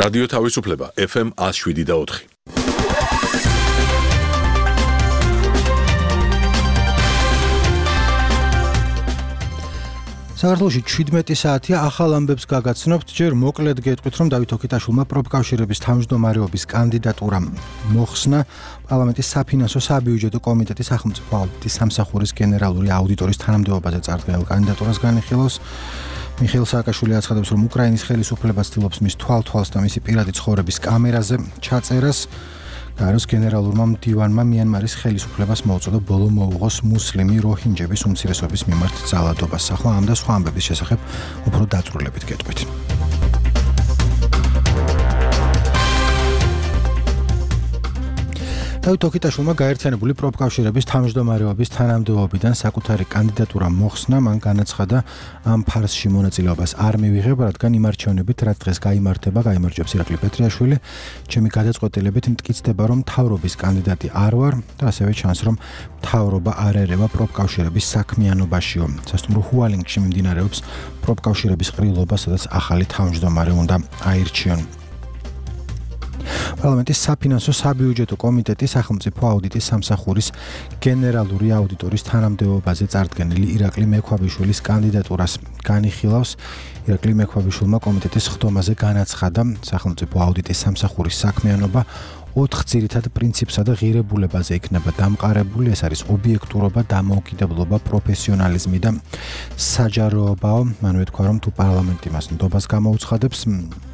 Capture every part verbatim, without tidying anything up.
რადიო თავისუფლება ეფ ემ one oh seven და four. საქართველოში seventeen საათია ახალ ამბებს გაგაცნობთ, ჯერ მოკლედ გეტყვით, რომ დავით ოქიტაშვილმა პროფკავშირების თავმჯდომარეობის კანდიდატურა მოხსნა. პარლამენტის საფინანსო საბიუჯეტო კომიტეტის სახელმწიფო აუდიტის სამსახურის გენერალური აუდიტორის თანამდებობაზე წარდგენილ კანდიდატურას განიხილავს. მიხეილ სააკაშვილი აცხადებს, რომ უკრაინის ხელისუფლება ცდილობს მის თვალთვალს და მისი პირადი ცხოვრების კამერაზე ჩაწერას. გაეროს გენერალურმა მდივანმა მიანმარის ხელისუფლებას მოუწოდა ბოლო მოუღოს მუსლიმი როჰინჯების უმცირესობის მიმართ ძალადობას. ახლა ამ და სხვა ამბების შესახებ უფრო დაწვრილებით გეტყვით. დავით ოქიტაშვილმა გაერთიანებული პროფკავშირების თავმჯდომარეობის თანამდებობიდან საკუთარი კანდიდატურა მოხსნა. მან განაცხადა, ამ ფარსში მონაწილეობას არ მივიღებ, რადგან იმ არჩევნებით, რაც დღეს გაიმართება, გაიმარჯვებს ირაკლი პეტრიაშვილი. ჩემი გადაწყვეტილებით მტკიცდება, რომ მთავრობის კანდიდატი არ ვარ და ასევე ჩანს, რომ მთავრობა არ ერევა პროფკავშირების საქმიანობაშიო. სასტუმრო ჰუალინგში მიმდინარეობს პროფკავშირების ყრილობა, სადაც ახალი თავმჯდომარე უნდა აირჩიონ. პარლამენტის საფინანსო საბიუჯეტო კომიტეტის სახელმწიფო აუდიტის სამსახურის გენერალური აუდიტორის თანამდებობაზე წარდგენილი ირაკლი მექვაბიშვილის კანდიდატურას განიხილავს. ირაკლი მექვაბიშვილმა კომიტეტის ხდომაზე განაცხადა, სახელმწიფო აუდიტის სამსახურის საქმიანობა ოთხ ძირითად პრინციპსა და ღირებულებაზე იქნება დამყარებული. ეს არის ობიექტურობა, დამოუკიდებლობა, პროფესიონალიზმი და საჯაროობაო. მან უთქვა, რომ თუ პარლამენტი მას ნდობას გამოუცხადებს,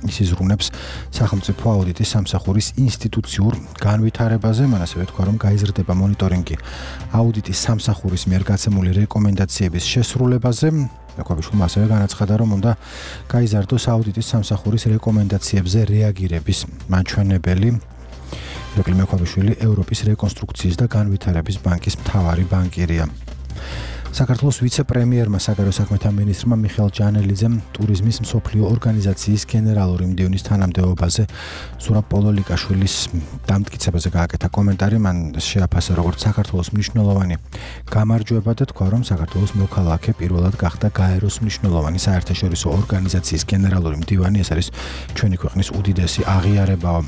ის იზრუნებს სახელმწიფო აუდიტის სამსახურის ინსტიტუციურ განვითარებაზე. მან ასევე უთქვა, რომ გაიზრდება მონიტორინგი აუდიტის სამსახურის მიერ გაცემული რეკომენდაციების შესრულებაზე. მექვაბიშვილმა ასევე განაცხადა, რომ უნდა გაიზარდოს აუდიტის სამსახურის რეკომენდაციებზე რეაგირების მაჩვენებელი. ირაკლი მექვაბიშვილი ევროპის რეკონსტრუქციის და განვითარების ბანკის მთავარი ბანკირია. საქართველოს ვიცე-პრემიერმა საგარეო საქმეთა მინისტრმა მიხეილ ჯანელიძემ ტურიზმის მსოფლიო ორგანიზაციის გენერალური მდივნის თანამდებობაზე ზურაბ პოლოლიკაშვილის დამტკიცებაზე გააკეთა კომენტარი. მან შეაფასა როგორც საქართველოს მნიშვნელოვანი გამარჯვება და თქვა, რომ საქართველოს მოქალაქე პირველად გახდა გაეროს მნიშვნელოვანი საერთაშორისო ორგანიზაციის გენერალური მდივანი. ეს არის ჩვენი ქვეყნის უდიდესი აღიარებაო.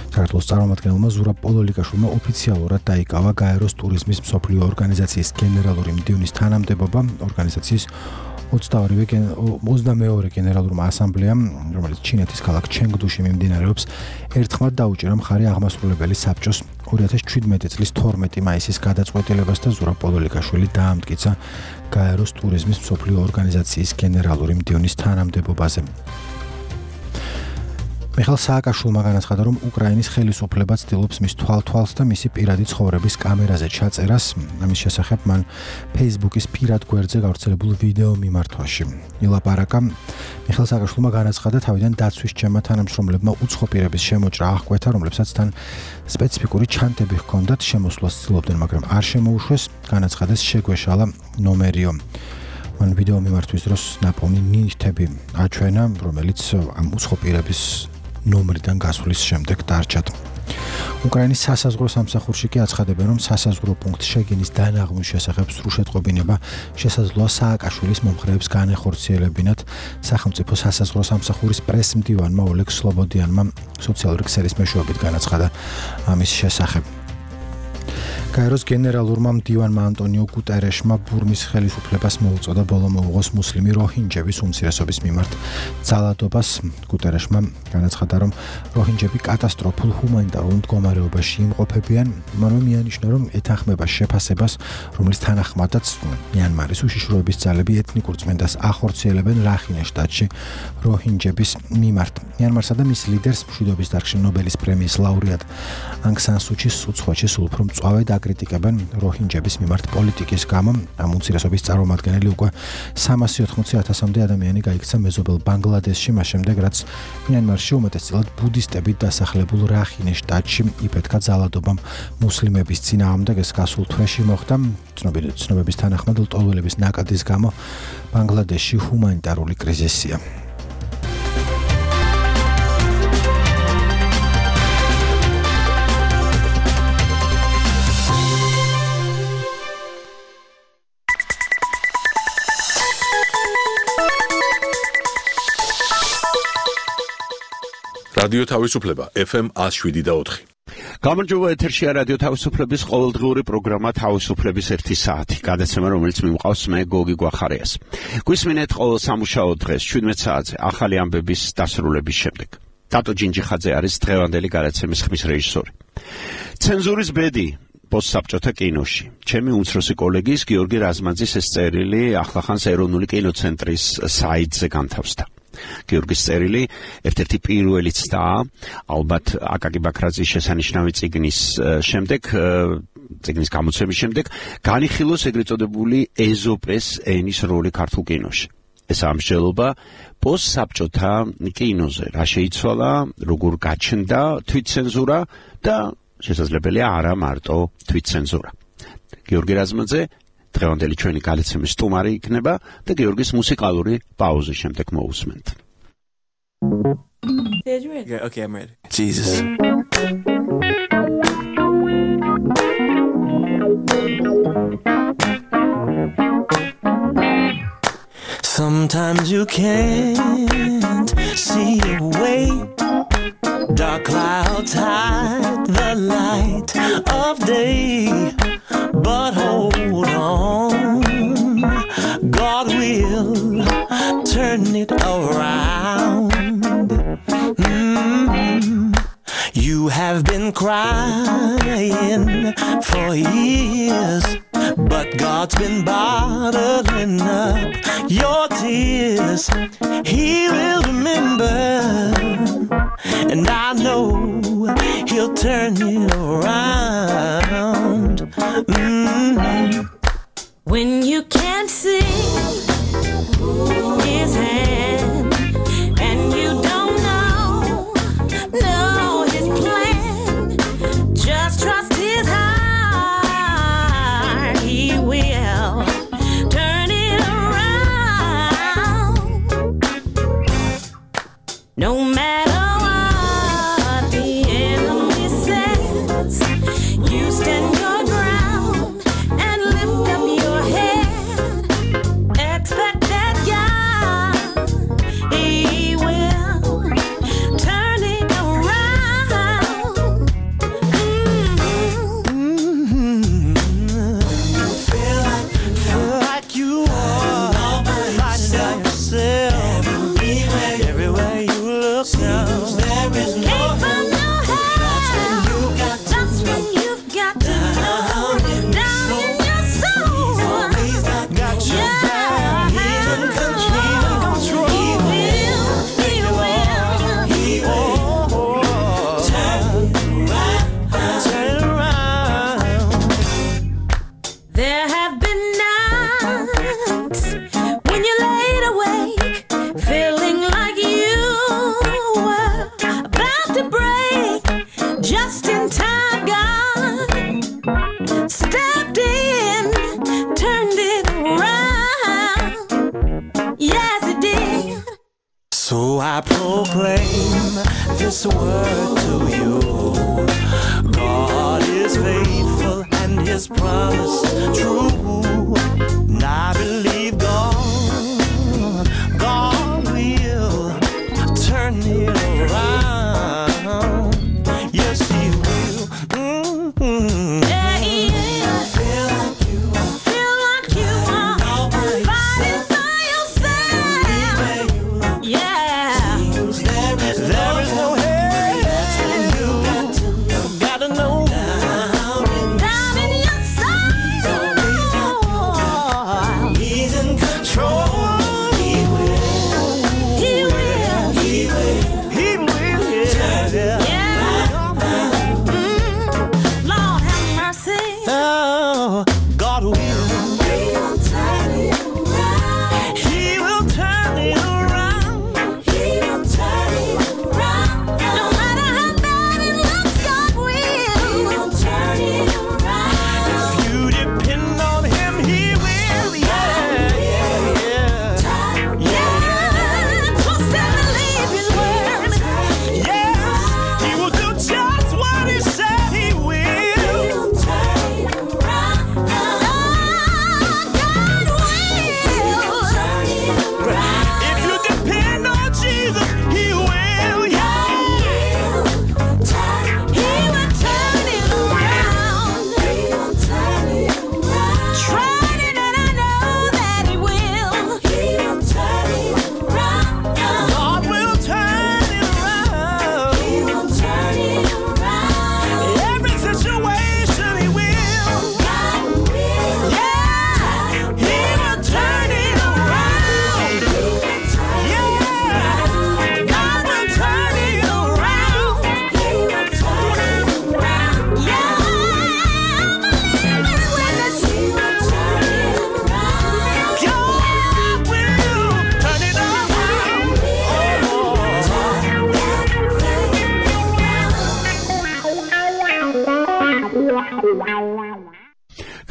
საქართველოს წარმომადგენელმა ზურაბ პოლოლიკაშვილმა ოფიციალურად დაიკავა გაეროს ტურიზმის მსოფლიო ორგანიზაციის გენერალური მდივნის თანამდებობა. ორგანიზაციის ოცდამეორე გენერალურმა ასამბლეამ, რომელიც ჩინეთის ქალაქ ჩენგდუში მიმდინარეობს, ერთხმად დაუჭირა მხარი აღმასრულებელი საბჭოს ორი ათას შვიდმეტი წლის თორმეტი მაისის გადაწყვეტილებას და ზურაბ პოლოლიკაშვილი დაამტკიცა გაეროს ტურიზმის მსოფლიო ორგანიზაციის გენერალური მდივნის თანამდებობაზე. მიხეილ სააკაშვილმა განაცხადა, რომ უკრაინის ხელისუფლება ცდილობს მის თვალთვალს და მისი პირადი ცხოვრების კამერაზე ჩაწერას. ამის შესახებ მან Facebook-ის პირად გვერდზე გავრცელებულ ვიდეო მიმართვაში ილაპარაკა. მიხეილ სააკაშვილმა განაცხადა, თავიდან დაცვის ჩემმა თანამშრომლებმა უცხო პირების შემოჭრა აღკვეთა, რომლებსაც თან სპეციფიკური ჩანთები ჰქონდათ, შემოსვლას ცდილობდნენ, მაგრამ არ შემოუშვეს. განაცხადეს, შეგვეშალა ნომერიო. მან ვიდეო მიმართვის დროს ნაპოვნი ნივთები აჩვენა, რომელიც ამ უცხო პირების ნომრიდან გასვლის შემდეგ დარჩათ. უკრაინის სასაზღვრო სამსახურში კი აცხადებენ, რომ სასაზღვრო პუნქტ შეგინის დანაღმვის შესახებ სრულშეტყობინება შესაძლოა სააკაშვილის მომხრეებს განეხორციელებინათ. სახელმწიფო სასაზღვრო სამსახურის პრესმდივანმა ოლეგ სლობოდიანმა სოციალური ქსელის მეშვეობით განაცხადა ამის შესახებ. გაეროს გენერალურმა მდივანმა ანტონიო გუტერეშმა ბურმის ხელისუფლებას მოუწოდა ბოლო მოუღოს მუსლიმი როჰინჯების უმცირესობის მიმართ ძალადობას. გუტერეშმა განაცხადა, რომ როჰინჯები კატასტროფულ ჰუმანიტარულ მდგომარეობაში იმყოფებიან. მან მიანიშნა, რომ ეთანხმება შეფასებას, რომლის თანახმადაც მიანმარის უშიშროების ძალები ეთნიკურ წმენდას ახორციელებენ რახინეს შტატში როჰინჯების მიმართ. მიანმარსა და მის ლიდერს მშვიდობის დარგში ნობელის პრემიის ლაურეატ ანგ სან სუჩის უცხოეთში სულ უფრო მწვავე აკრიტიკებენ როჰინჯების მიმართ პოლიტიკის გამო. ამ უმცირესობის წარმომადგენელი უკვე სამასი ოთხმოცი ათასამდე ადამიანი გაიქცა მეზობელ ბანგლადეშში, მას შემდეგ რაც მიანმარში უმეტესწილად ბუდისტებით დასახლებულ რახინეს შტატში იფეთქა ძალადობამ მუსლიმების წინააღმდეგ. ეს გასულ თვეში მოხდა. ცნობების თანახმად ლტოლვილების ნაკადის გამო ბანგლადეშში ჰუმანიტარული კრიზისია. რადიო თავისუფლება F M one oh seven point four. გამარჯობა, ეთერშია რადიო თავისუფლების ყოველდღიური პროგრამა თავისუფლების ერთი საათი. გადაცემა, რომელიც მიმყავს მე გოგი გვახარიას. გვისმინეთ ყოველ სამუშაო დღეს შვიდმეტ საათზე ახალი ამბების დასრულების შემდეგ. დატო ჯინჯიხაძე არის დღევანდელი გადაცემის ხმის რეჟისორი. ცენზურის ბედი პოსტსაბჭოთა კინოში. ჩემი უმცროსი კოლეგის გიორგი რაზმაძის ეს წერილი ახლახანს ეროვნული კინოცენტრის საიტზე განთავსდა. გიორგის წერილი ერთ-ერთი პირველი ცდაა, ალბათ აკაკი ბაქრაძის შესანიშნავი წიგნის შემდეგ, წიგნის გამოცემის შემდეგ, განიხილოს ეგრეთ წოდებული ეზოპეს ენის როლი ქართულ კინოში. ეს ამსჯელობა პოსტსაბჭოთა კინოზე რა შეიცვალა, როგორ გაჩნდა თვითცენზურა და შესაძლებელია არა მარტო თვითცენზურა. გიორგი რაზმაძე დღევანდელი ჩვენი გადაცემის სტუმარი იქნება და გიორგის მუსიკალური პაუზის შემდეგ მოусმენთ. Yeah, okay, I'm ready. Jesus. Sometimes you can't see a way. Dark clouds hide the light of day. But hold on, God will turn it around. Mm-hmm. You have been crying for years, but God's been bottling up your tears. He will remember, and I know He'll turn it around. Mm-hmm. When you can't see His hand and you don't know, know His plan, just trust His heart. He will turn it around. No matter what the enemy says, you stand your ground and lift up your head. Expect that God, He will turn it around. Mm-hmm. Feel like, feel like you are fighting by yourself. Everywhere, everywhere you look now, there is no can't find no help. That's when you've got to know down in your soul. Got your back. He's in control. He will, He will, He will turn it around. Turn it around. There have been nights when you laid awake, feeling like you were about to break. Just in time, God stepped in, turned it around. Yes, He did. So I proclaim this word to you. God is faithful and His promise true. And I believe God, God will turn it around. Yes, He will. Mm-hmm. Yeah, He will. Feel like you are, feel like you are fighting by yourself. Yeah, there is no help. You gotta know down in your soul.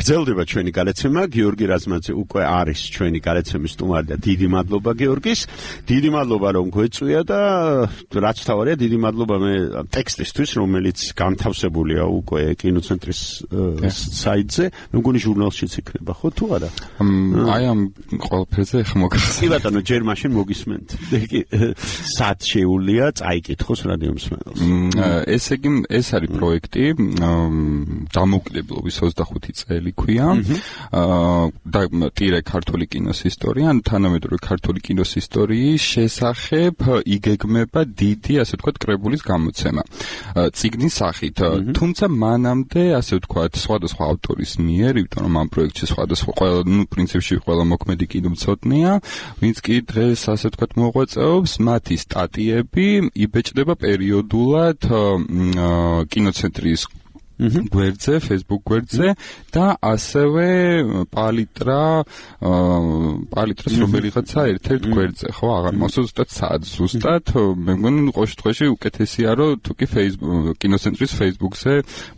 გრძელდება ჩვენი გადაცემა. გიორგი რაზმაძე უკვე არის ჩვენი გადაცემის სტუმარი და დიდი მადლობა გიორგის. დიდი მადლობა რომ გვეწვია და რაც თავარია დიდი მადლობა მე ტექსტისთვის რომელიც განთავსებულია უკვე კინოცენტრის საიტზე. მე მგონი ჟურნალშიც იქნება ხო თუ არა? აი ამ ყველაფერზე ხომ მოგახსენე. კი ბატონო ჯერ მაშინ მოგისმენთ. სად შეუულია წაიკითხოს რადიო მსმენელს. ესე იგი ეს არის პროექტი დამოუკიდებლობის ოცდახუთი წელი ქვია. და ტირე ქართული კინოს ისტორია, ან თანამედროვე ქართული კინოს ისტორიის შესახებ იგეგმება დიდი, ასე ვთქვათ, კრებულის გამოცემა. წიგნის სახით, თუმცა მანამდე, ასე ვთქვათ, სხვადასხვა ავტორის მიერ, იმიტომ რომ ამ პროექტში სხვადასხვა ყველა, ну, პრინციპში ყველა მოქმედი კინომცოდნეა, ვინც კი დღეს, ასე ვთქვათ, მოღვაწეობს, მათი სტატიები იბეჭდება პერიოდულად კინოცენტრის გვერდზე, Facebook გვერდზე და ასევე პალიტრა პალიტრას რომელიღაცა ერთ-ერთ გვერდზე, ხო, აღარ მახსოვს ზუსტად სად, ზუსტად, მე მგონი ყოველ შემთხვევაში უკეთესია რომ თუ კი Facebook კინოცენტრის Facebook-ზე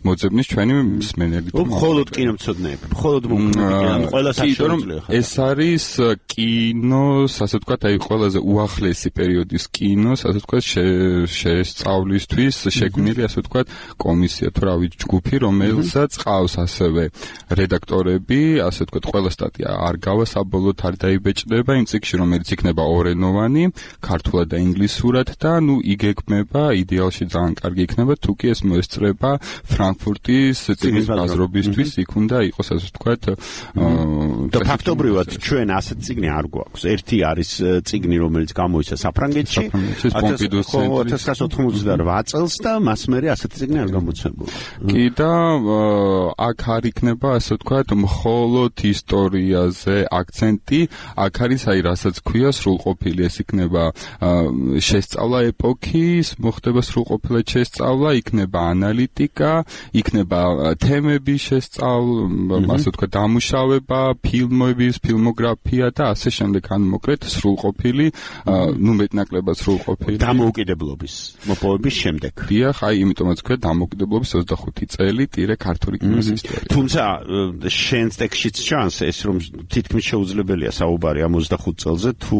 მოძებნის ჩვენი მსმენელი. მხოლოდ კინომცოდნეები, მხოლოდ მოქმედი, ყველა საერთოდ ეს არის კინოს, ასე ვთქვათ, აი ყველაზე უახლესი პერიოდის კინოს, ასე ვთქვათ, შესწავლისთვის შექმნილი, ასე ვთქვათ, კომისია თუ რავი ჯგუფი, რომელსაც ყავს ასევე რედაქტორები, ასე ვთქვათ, ყველა სტატია არ გავა საბოლოოდ არ დაიბეჭდება იმ წიგნში, რომელიც იქნება ორენოვანი, ქართულად და ინგლისურად და ნუ იგეგმება, იდეალში ძალიან კარგი იქნება, თუ კი ეს მოესწრება ფრანკფურტის წიგნის ბაზრობისთვის, იქ უნდა იყოს, ასე ვთქვათ, და ფაქტობრივად ჩვენ ასეთ წიგნი არ გვაქვს. ერთი არის წიგნი, რომელიც გამოიცა საფრანგეთში ათას ათას ოცდაოთხმოცდაოთხ წელს და მას მერე ასეთი წიგნი არ გამოცემულა. კი და აქ არ იქნება, ასე ვთქვათ, მხოლოდ ისტორიაზე აქცენტი, აქ არის აი რასაც ქვია სრულყოფილი, ეს იქნება შესწავლა ეპოქის, მოხდება სრულყოფილად შესწავლა, იქნება ანალიტიკა, იქნება თემების შესწავლა, ასე ვთქვათ, დამუშავება, ფილმების, ფილმოგრაფია და ასე შემდეგ, ან მოკლედ სრულყოფილი, ნუ მეტნაკლებად სრულყოფილი დამოუკიდებლობის მოპოვების შემდეგ. დიახ, აი იმიტომაც ქვია დამოუკიდებლობის ოცდახუთი წელი ტირე ქართული კინოს ისტორია. თუმცა შენს ტექსტშიც ჩანს ეს რომ თითქმის შეუძლებელია საუბარი ამ ოცდახუთ წელზე თუ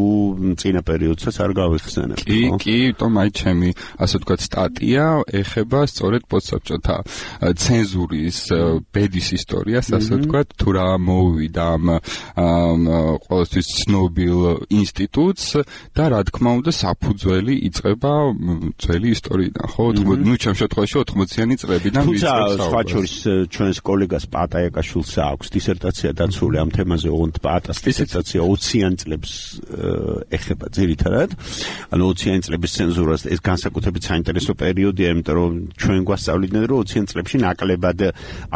წინა პერიოდსაც არ გავიხსენებ. კი, კი, თუმცა აი ჩემი ასე ვთქვათ სტატია ეხება სწორედ პოსტსაბჭოთა ცენზურის ბედის ისტორიას, ასე ვთქვათ, თუ რა მოუვიდა ამ ყოველთვის ცნობილ ინსტიტუტს და რა თქმა უნდა საფუძველი იწყება ძველი ისტორიიდან, ხო? ნუ ჩემ შემთხვევაში ოთხმოციანი წლებიდან თუმცა სხვა შორის ჩვენს კოლეგას პატაიაკაშვილს აქვს დისერტაცია დაცული ამ თემაზე, ოღონდ პატას დისერტაცია ოციან წლებს ეხება ძირითადად. ანუ ოციან წლების ცენზურას ეს განსაკუთრებით საინტერესო პერიოდია, იმიტომ რომ ჩვენ გვასწავლიდნენ რომ ოციან წლებში ნაკლებად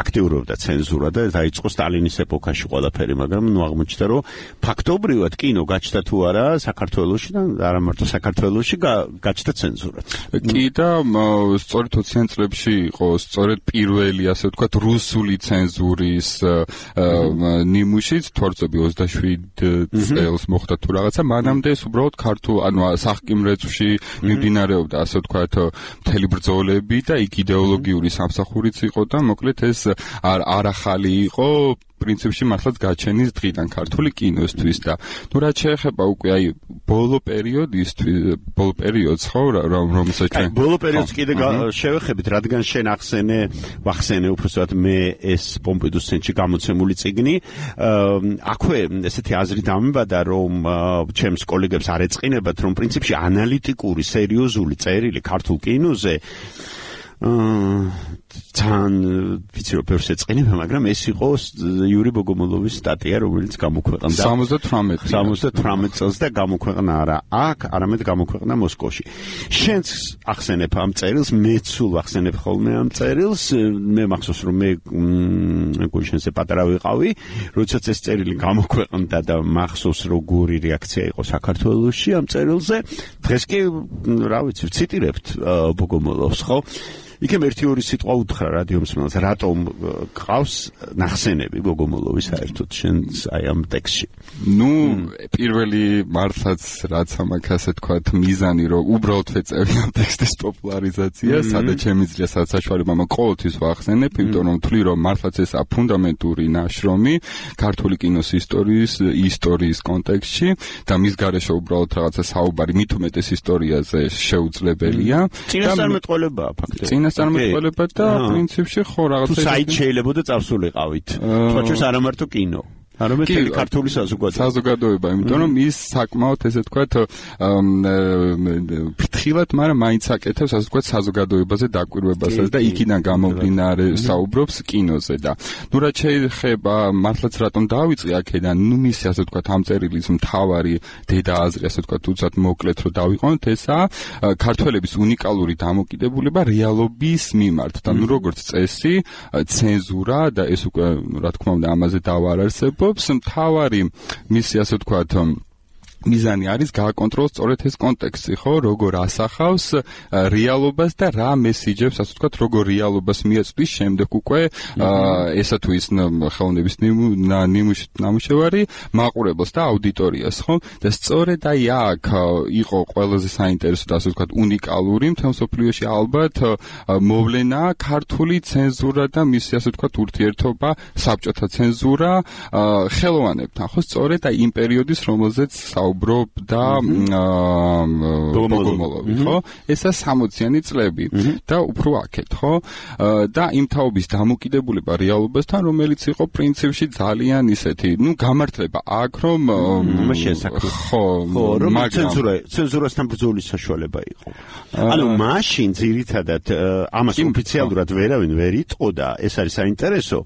აქტიურობდა ცენზურა და დაიწყო სტალინის ეპოქაში ყველაფერი, მაგრამ ნუ აღმოჩნდა რომ ფაქტობრივად კინო გაჩნდა თუ არა საქართველოში და არა მარტო საქართველოში გაჩნდა ცენზურაც. კი და სწორედ ოციან წლებში იყო სწორედ პირველი, ასე ვთქვათ, რუსული ცენზურის ნიმუშიც თორწები ოცდაშვიდ წელს მოხდა თუ რაღაცა, მანამდე ეს უბრალოდ ქართულ, ანუ სახკიმრეწვში მიმდინარეობდა, ასე ვთქვათ, მთელი ბრძოლები და იქ იდეოლოგიური სამსახურიც იყო და მოკლედ ეს არ ახალი იყო პრინციპში მართლაც გაჩენის დღიდან ქართული კინოსთვის და ნუ რაც შეეხება უკვე აი ბოლო პერიოდისთვის, ბოლო პერიოდს ხო, რომელსაც ჩვენ ბოლო პერიოდს კიდე შევეხებით, რადგან შენ ახსენე, ვახსენე უბრალოდ მე ეს პომპიდუს ცენტრში გამოცემული წიგნი, აქვე ესეთი აზრი დამებადა, რომ ჩემს კოლეგებს არ ეწყინებათ, რომ პრინციპში ანალიტიკური, სერიოზული წერილი ქართულ კინოზე თან ვიცი რომ ბევრს ეწყინება, მაგრამ ეს იყო იური ბოგომოლოვის სტატია, რომელიც გამოქვეყნდა სამოცდათვრამეტ წელს და გამოქვეყნა არა აქ, არამედ გამოქვეყნა მოსკოვში. შენც ახსენებ ამ წერილს, მეც სულ ახსენებ ხოლმე ამ წერილს, მე მახსოვს რომ მე მეგონი შენზე პატარა ვიყავი, როდესაც ეს წერილი გამოქვეყნდა და მახსოვს როგორი რეაქცია იყო საქართველოში ამ წერილზე. დღეს კი რა ვიცი, ვციტირებთ ბოგომოლოვს, ხო? იქემ ერთი ორი სიტყვა უთხრა რადიო მსმენელს, რატომ გყავს ნახსენები გოგომოლოვის საერთოდ შენ აი ამ ტექსტში. ნუ პირველი მართლაც რაც ამაკ ასე თქვათ მიზანი რომ უბრალოდ ვეწევი ამ ტექსტის პოპულარიზაცია, სადაც შემიძლია საცხოვრებელმა მაგრამ ყოველთვის ვახსენებ, იმიტომ რომ თვლი რომ მართლაც ესა ფუნდამენტური ნაშრომი ქართული კინოს ისტორიის ისტორიის კონტექსტში და მის გარეშე უბრალოდ რაღაცა საუბარი მით უმეტეს ისტორიაზე შეუძლებელია. წინასწარმეტყველებაა ფაქტობრივად. წინასწარმეტყველება და პრინციპში ხო რაღაცა თუ საით შეიძლება და წავსულიყავით. სხვა არა მარტო კინო. არამედ ქართული საზოგადოება. საზოგადოება, იმიტომ რომ ის საკმაოდ ესე თქვათ ფრთხილად, მაგრამ მაინც აკეთებს ასე თქვათ საზოგადოებაზე დაკვირვებასაც და იქიდან გამომდინარე საუბრობს კინოზე და ნუ რაც შეიძლება მართლაც რატომ დავიწყე აქედან, ნუ მისი ასე თქვათ ამ წერილის მთავარი დედა აზრი ასე თქვათ უცად მოკლედ რომ დავიყვანოთ, ესაა ქართველების უნიკალური დამოკიდებულება რეალობის მიმართ და ნუ როგორც წესი, ცენზურა და ეს უკვე რა თქმა უნდა ამაზე დავარარსებ მთავარი მისი ასე ვთქვათ მიზანი არის გააკონტროლოს სწორედ ეს კონტექსტი, ხო, როგორ ასახავს რეალობას და რა მესიჯებს, ასე ვთქვათ, როგორ რეალობას მიაწვდის შემდეგ უკვე ესა თუ ის ხელოვნების ნამუშევარი მაყურებელს და აუდიტორიას, ხო? და სწორედ აი აქ იყო ყველაზე საინტერესო და ასე ვთქვათ უნიკალური მთელ მსოფლიოში ალბათ მოვლენა ქართული ცენზურა და მისი ასე ვთქვათ ურთიერთობა საბჭოთა ცენზურა ხელოვანებთან, ხო, სწორედ აი იმ პერიოდის რომელზეც უბრობდა ბოგომოლოვი, ხო? ესა სამოციანი წლები და უფრო აქეთ, ხო? და იმ თაობის დამოკიდებულება რეალობასთან, რომელიც იყო პრინციპში ძალიან ისეთი, ნუ გამართლება აქ, რომ ხო, მაგრამ ცენზურა, ცენზურასთან ბრძოლის საშუალება იყო. ანუ მაშინ ძირითადად ამას ოფიციალურად ვერავინ ვერ იტყოდა, ეს არის საინტერესო.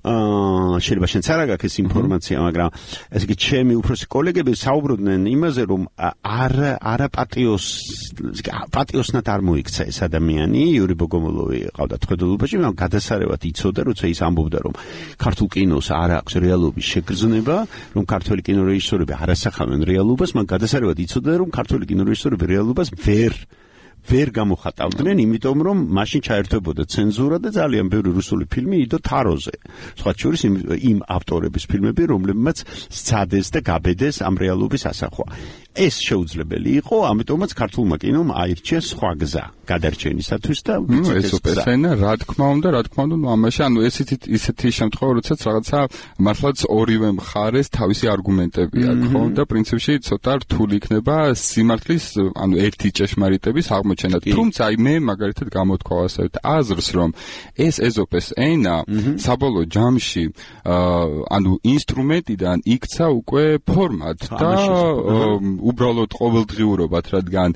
აა შეიძლება შენ არ გაგაქვს ინფორმაცია, მაგრამ ესე იგი ჩემი უფროსი კოლეგები საუბრობდნენ იმაზე, რომ არ არა პატიოს პატიოსნად არ მოიქცა ეს ადამიანი, იური ბოგომოლოვი ყავდა თხედულობაში, მაგრამ გადასარევად იცოდა, როცა ის ამბობდა, რომ ქართულ კინოს არ აქვს რეალობის შეგრძნება, რომ ქართველი კინორეჟისორები არ ასახავენ რეალობას, მაგრამ გადასარევად იცოდა, რომ ქართველი კინორეჟისორები რეალობას ვერ ვერ გამოხატავდნენ, იმიტომ რომ მაშინ ჩაერთვებოდა ცენზურა და ძალიან ბევრი რუსული ფილმი იდო თაროზე. სხვა შორის იმ ავტორების ფილმები, რომლებმაც სცადეს და გაბედეს ამ რეალობის ასახვა. ეს შეუძლებელი იყო, ამიტომაც ქართულმა კინომ აირჩია სხვა გზა გადარჩენისათვის და ეს ოპერაცია, რა თქმა უნდა, რა თქმა უნდა, ამაში ანუ ესეთი ისეთი შემთხვევა, როდესაც რაღაცა მართლაც ორივე მხარეს თავისი არგუმენტები აქვს, ხო? და პრინციპში ცოტა რთული იქნება სიმართლის, ანუ ერთი ჭეშმარიტების აღმოჩენა. თუმცა აი მე მაგალითად გამოთქვა ასეთ აზრს, რომ ეს ეზოპეს ენა საბოლოო ჯამში ანუ ინსტრუმენტიდან იქცა უკვე ფორმად და უბრალოდ ყოველდღიურობად, რადგან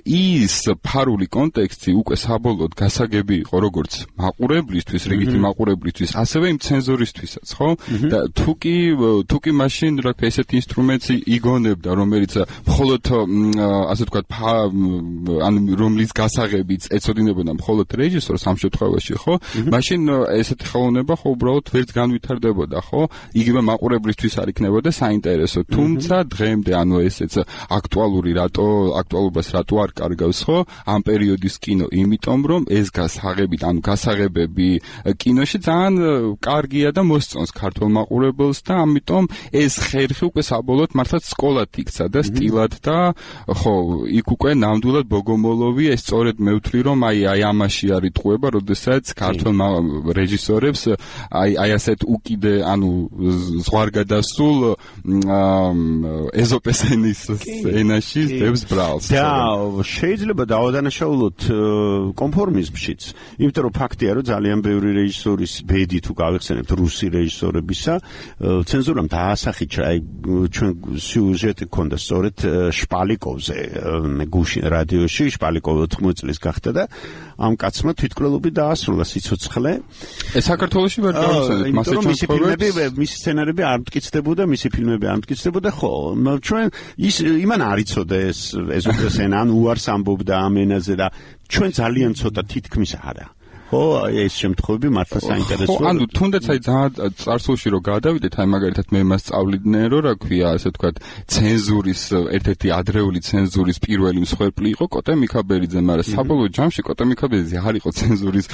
ის ფარული კონტექსტი უკვე საბოლოოდ გასაგები იყო როგორც მაყურებლისთვის, რიგითი მაყურებლისთვის, ასევე იმ ცენზორისთვისაც, ხო? და თუ კი თუ კი მაშინ რა თქმა ესეთი ინსტრუმენტი იგონებდა, რომელიც მხოლოდ ასე ვთქვათ, ანუ რომლის გასაღებიც ეწოდინებოდა მხოლოდ რეჟისორს ამ შემთხვევაში, ხო? მაშინ ესეთი ხელოვნება ხო უბრალოდ ვერც განვითარდებოდა, ხო? იგივე მაყურებლისთვის არ იქნებოდა საინტერესო. თუმცა დღემდე ანუ ესეც აქტუალური რატო აქტუალობას რატო არ კარგავს, ხო? ამ პერიოდის კინო, იმიტომ რომ ეს გასაღები, ანუ გასაღებები კინოში ძალიან კარგია და მოსწონს ქართულ მაყურებელს და ამიტომ ეს ხერხი უკვე საბოლოოდ მართლაც სკოლად იქცა და სტილად და ხო, იქ უკვე ნამდვილად ბოგომოლოვი ეს სწორედ მე ვთვლი რომ აი აი ამაში არის ტყუება, როდესაც ქართულ რეჟისორებს აი აი ასეთ უკიდე ანუ ზღვარგადასულ ეზოპეს ენის ენაში დებს ბრალს. და შეიძლება დავადანაშაულოთ კონფორმიზმშიც, იმიტომ რომ ფაქტია რომ ძალიან ბევრი რეჟისორის ბედი თუ გავიხსენებთ რუსი რეჟისორებისა, ცენზურამ დაასახიჩა აი ჩვენ სიუჟეტი ქონდა სწორედ შპალიკოვზე, გუშინ რადიოში შპალიკოვი ოთხმოცი წლის გახდა და ამ კაცმა თვითკვლელობით დაასრულა სიცოცხლე. ეს საქართველოში ვერ დავხსენეთ, მასე მისი ფილმები, მისი სცენარები არ მტკიცდებოდა, მისი ფილმები არ მტკიცდებოდა, ხო, ჩვენ ის იმან არ იცოდა ეს ეზოპეს ენა, ან უარს ამბობდა ამ ენაზე და ჩვენ ძალიან ცოტა თითქმის არა. ხო, აი ეს შემთხვევები მართლა საინტერესოა. ხო, ანუ თუნდაც აი ძალიან წარსულში რო გადავიდეთ, აი მაგალითად მე მასწავლიდნენ რომ რა ქვია, ასე ვთქვათ, ცენზურის ერთ-ერთი ადრეული ცენზურის პირველი მსხვერპლი იყო კოტე მიქაბერიძე, მაგრამ საბოლოო ჯამში კოტე მიქაბერიძე არ იყო ცენზურის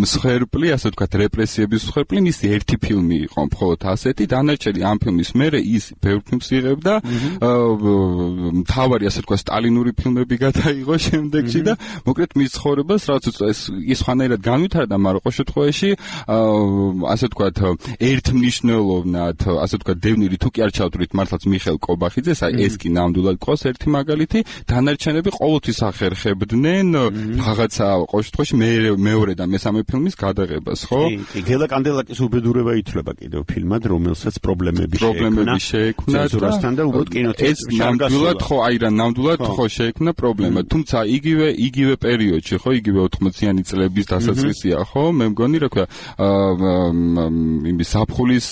მსხვერპლი, ასე ვთქვათ, რეპრესიების მსხვერპლი, მისი ერთი ფილმი იყო მხოლოდ ასეთი, დანარჩენი ამ ფილმის მერე ის ბევრ ფილმს იღებდა, მთავარი ასე ვთქვათ სტალინური ფილმები გადაიღო შემდეგში და მოკლედ მის ცხოვრებას რაც ის ის ხანერად განვითარდა, მაგრამ ყოველ შემთხვევაში ასე ვთქვათ ერთმნიშვნელოვნად, ასე ვთქვათ დევნილი თუ კი არ ჩავთვლით მართლაც მიხელ კობახიძეს, აი ეს კი ნამდვილად ყავს ერთი მაგალითი, დანარჩენები ყოველთვის ახერხებდნენ რაღაცა ყოველ შემთხვევაში მეორე და მესამე ფილმის გადაღებას, ხო? კი, გელა კანდელაკის უბედურება ითვლება კიდევ ფილმად, რომელსაც პრობლემები შეექმნა ცენზურასთან და უბრალოდ კინოთეატრში ნამდვილად ხო, აი რა ნამდვილად ხო შეექმნა პრობლემა, თუმცა იგივე იგივე პერიოდში, ხო, იგივე ოთხმოციანი წლების დასაწყისია, ხო, მე მგონი რა ქვია, იმის ზაფხულის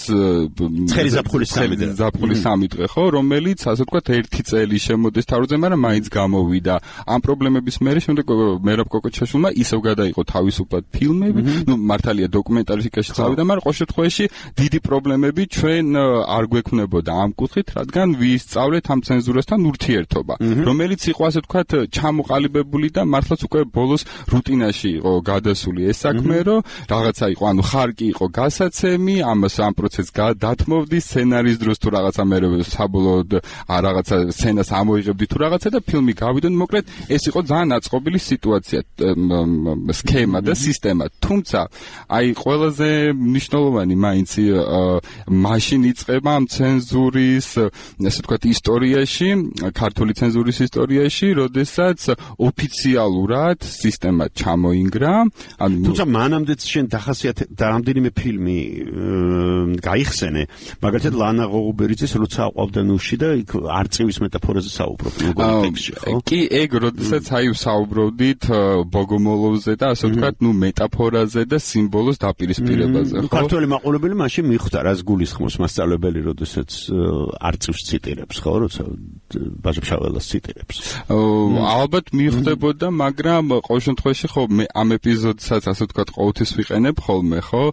ცხელი ზაფხულის სამი დღე, ზაფხულის სამი დღე, ხო, რომელიც ასე ვთქვათ ერთი წელი შემოდის თავზე, მაგრამ მაინც გამოვიდა. ამ პრობლემების მერე შემდეგ მერაბ კოკოჩაშვილმა ისევ გადაიღო თავისუფლად ფილმები, ნუ მართალია დოკუმენტალისტიკაში წავიდა, მაგრამ ყოველ შემთხვევაში დიდი პრობლემები ჩვენ არ გვექნებოდა ამ კუთხით, რადგან ვისწავლეთ ამ ცენზურასთან ურთიერთობა, რომელიც იყო ასე ვთქვათ ჩამოყალიბებული და მართლაც უკვე ბოლოს რუტინაში იყო გადასული ეს საქმე, რომ რაღაცა იყო, ანუ ხარკი იყო გასაცემი, ამას ამ პროცესს გადათმოვდი სცენარის დროს თუ რაღაცა მე საბოლოოდ რაღაცა სცენას ამოიღებდი თუ რაღაცა და ფილმი გავიდა, მოკლედ ეს იყო ძალიან აწყობილი სიტუაცია, სქემა და სისტემა. თუმცა აი ყველაზე მნიშვნელოვანი მაინც მაშინ იწყება ამ ცენზურის, ასე ვთქვათ, ისტორიაში, ქართული ცენზურის ისტორიაში, როდესაც ოფიციალურად სისტემა ჩამოინგრა. ანუ თუმცა მანამდეც შენ დახასიათე და რამდენიმე ფილმი გაიხსენე, მაგალითად ლანა ღოღუბერიძის როცა აყვავდა ნუში და იქ არწივის მეტაფორაზე საუბრობ მეგონი ტექსტში, ხო? კი, ეგ როდესაც აი საუბრობდით ბოგომოლოვზე და ასე ვთქვათ, ნუ მეტაფორაზე და სიმბოლოს დაპირისპირებაზე, ხო? ქართველი მაყურებელი მაშინ მიხვდა, რას გულისხმობს მასწავლებელი, როდესაც არწივს ციტირებს, ხო, როცა ბაჟებშაველას ციტირებს. ალბათ მიხვდებოდა, მაგრამ ყოველ შემთხვევაში ხო მე ამ ეპიზოდსაც ასე ვთქვათ ყოველთვის ვიყენებ ხოლმე, ხო?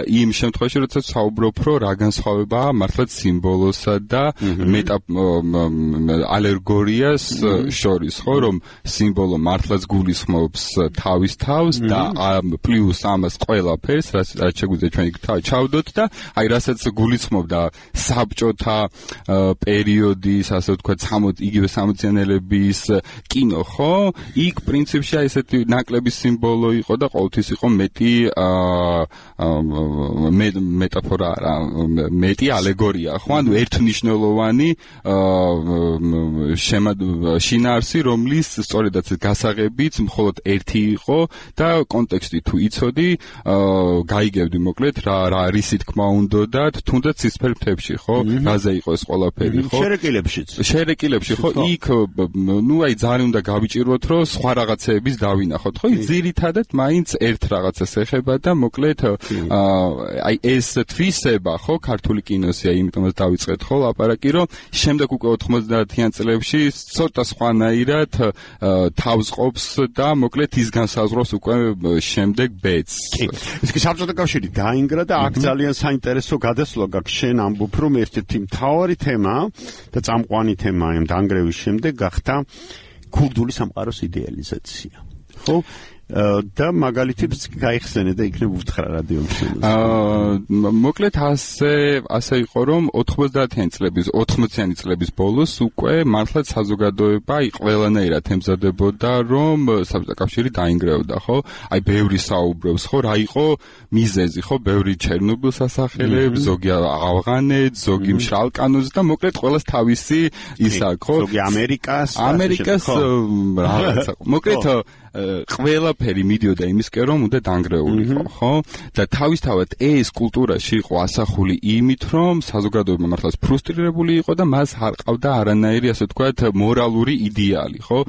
იმ შემთხვევაში, როცა საუბრობ, რომ რა განსხვავებაა მართლაც სიმბოლოსა და მეტა ალეგორიას შორის, ხო, რომ სიმბოლო მართლაც გულისხმობს თავის თავს და პლუს ამას ყველაფერს, რაც შეგვიძლია ჩვენ იქ ჩავდოთ და აი რასაც გულისხმობდა საბჭოთა პერიოდის, ასე ვთქვათ, იგივე სამოციანელების კინო, ხო? იქ პრინციპში აი ესეთი ნაკლები სიმბოლო იყო და ყოველთვის იყო მეტი მეტაფორა, მეტი ალეგორია, ხო? ანუ ერთმნიშვნელოვანი შინაარსი, რომლის სწორედაც გასაღებიც მხოლოდ ერთი იყო და კონტექსტი თუ იცოდი, გაიგებდი მოკლედ რა რა რისი თქმა უნდათ, თუნდაც სისფერ მთებში, ხო? რაზე იყო ეს ყველაფერი, ხო? შერეკილებშიც. შერეკილებში, ხო? იქ ნუ აი ძალიან უნდა გავიჭიროთ, რომ სხვა რაღაცეების დავინახოთ, ხო? ძირითადად მაინც ერთ რაღაცას ეხება და მოკლედ აი ეს თვისება, ხო, ქართული კინოსია, იმიტომაც დავიწყეთ ხო ლაპარაკი, რომ შემდეგ უკვე ოთხმოცდაათიან წლებში ცოტა სხვანაირად თავს ყოფს და მოკლედ ის განსაზღვრავს უკვე შემდეგ ბედს. კი. ეს კი საბჭოთა კავშირი დაინგრა და აქ ძალიან საინტერესო გადასვლა გაქვს, შენ ამბობ, რომ ერთ-ერთი მთავარი თემა და წამყვანი თემა ამ დანგრევის შემდეგ გახდა ქურდული სამყაროს იდეალიზაცია. ხო? და მაგალითებს გაიხსენე და იქნებ უთხრა რადიოში. აა მოკლედ ასე ასე იყო რომ ოთხმოცდაათიანი წლების ოთხმოციანი წლების ბოლოს უკვე მართლაც საზოგადოება აი ყველანაირად ემზადებოდა რომ საბჭოთა კავშირი დაინგრეოდა, ხო? აი ბევრი საუბრობს, ხო, რა იყო მიზეზი, ხო, ბევრი ჩერნობილს ასახელებს, ზოგი ავღანეთს, ზოგი მშრალ კანონს და მოკლედ ყველას თავისი ისა, ხო? ზოგი ამერიკას, ამერიკას რაღაცა. მოკლედ ყველაფერი მიდიოდა იმისკენ რომ უნდა დანგრეულიყო, ხო? და თავისთავად ეს კულტურაში იყო ასახული იმით, რომ საზოგადოება მართლაც ფრუსტრირებული იყო და მას არ ყავდა არანაირი, ასე ვთქვათ, მორალური იდეალი, ხო?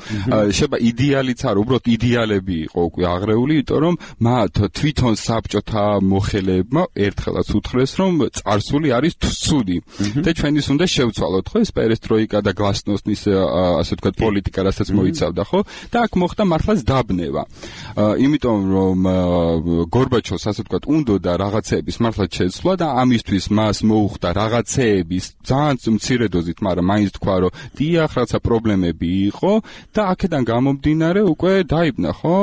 შეიძლება იდეალიც არ, უბრალოდ იდეალები იყო უკვე აღრეული, იმიტომ რომ მათ თვითონ საბჭოთა მოხელეებმა ერთხელაც უთხრეს, რომ წარსული არის ცუდი და ჩვენის უნდა შევცვალოთ, ხო? ეს პერესტროიკა და გლასნოსნის, ასე ვთქვათ, პოლიტიკა, რასაც მოიცავდა, ხო? და აქ მოხდა მართლაც გაბნება. იმიტომ რომ გორბაჩოვს ასე ვთქვათ, უნდოდა რაღაცეების მართლაც შეცვლა და ამისთვის მას მოუხდა რაღაცეების ძალიან მცირე დოზით, მაგრამ მაინც თქვა, რომ დიახ, რაცა პრობლემები იყო და აქედან გამომდინარე უკვე დაიბნა, ხო?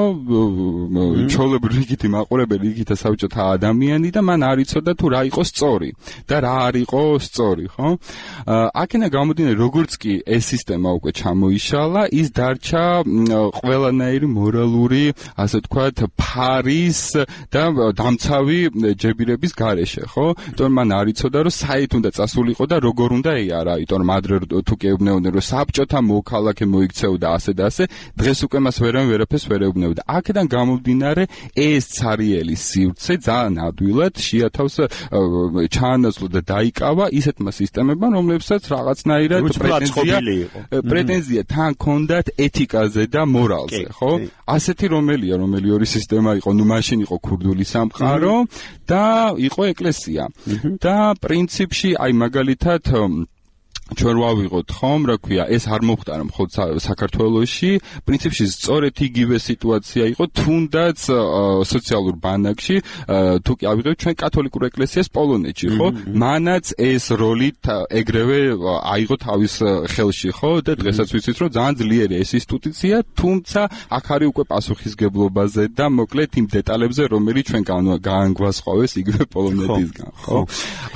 ჩოლებრივი რიგითი მაყურებელი, რიგითა საბჭოთა ადამიანი და მან არ იცოდა თუ რა იყო სწორი და რა არ იყო სწორი, ხო? აქედან გამომდინარე, როგორც კი ეს სისტემა უკვე ჩამოიშალა, ის დარჩა ყველანაირი მორალური, ასე ვთქვათ, ფარის და დამცავი ჯებირების გარეშე, ხო? იმიტომ მან არ იცოდა, რომ საით უნდა წასულიყო და როგორ უნდა ეარა, იმიტომ რომ ადრე თუ კი ეუბნეოდნენ, რომ საბჭოთა მოქალაქე მოიქცეოდა ასე და ასე, დღეს უკვე მას ვერან ვერაფერს ვერ ეუბნებოდა. აქედან გამომდინარე, ეს ცარიელი სივრცე ძალიან ადვილად შეათავს ჩაანაცვლა და დაიკავა ისეთმა სისტემებმა, რომლებსაც რაღაცნაირად პრეტენზია პრეტენზია თან ჰქონდათ ეთიკაზე და მორალზე, ხო? ასეთი რომელია, რომელი ორი სისტემა იყო, ნუ მაშინ იყო ქურდული სამყარო და იყო ეკლესია. და პრინციპში, აი მაგალითად ჩვენ ვავიღოთ ხომ, რა ქვია, ეს არ მოხდარა მხოლოდ საქართველოში, პრინციპში სწორედ იგივე სიტუაცია იყო თუნდაც სოციალურ ბანაკში, თუ კი ავიღოთ ჩვენ კათოლიკურ ეკლესიას პოლონეთში, ხო? მანაც ეს როლი ეგრევე აიღო თავის ხელში, ხო? და დღესაც ვიცით, რომ ძალიან ძლიერი ეს ინსტიტუცია, თუმცა აქ არის უკვე პასუხისგებლობაზე და მოკლედ იმ დეტალებზე, რომელიც ჩვენ გაანგვასყავეს იგივე პოლონეთისგან, ხო?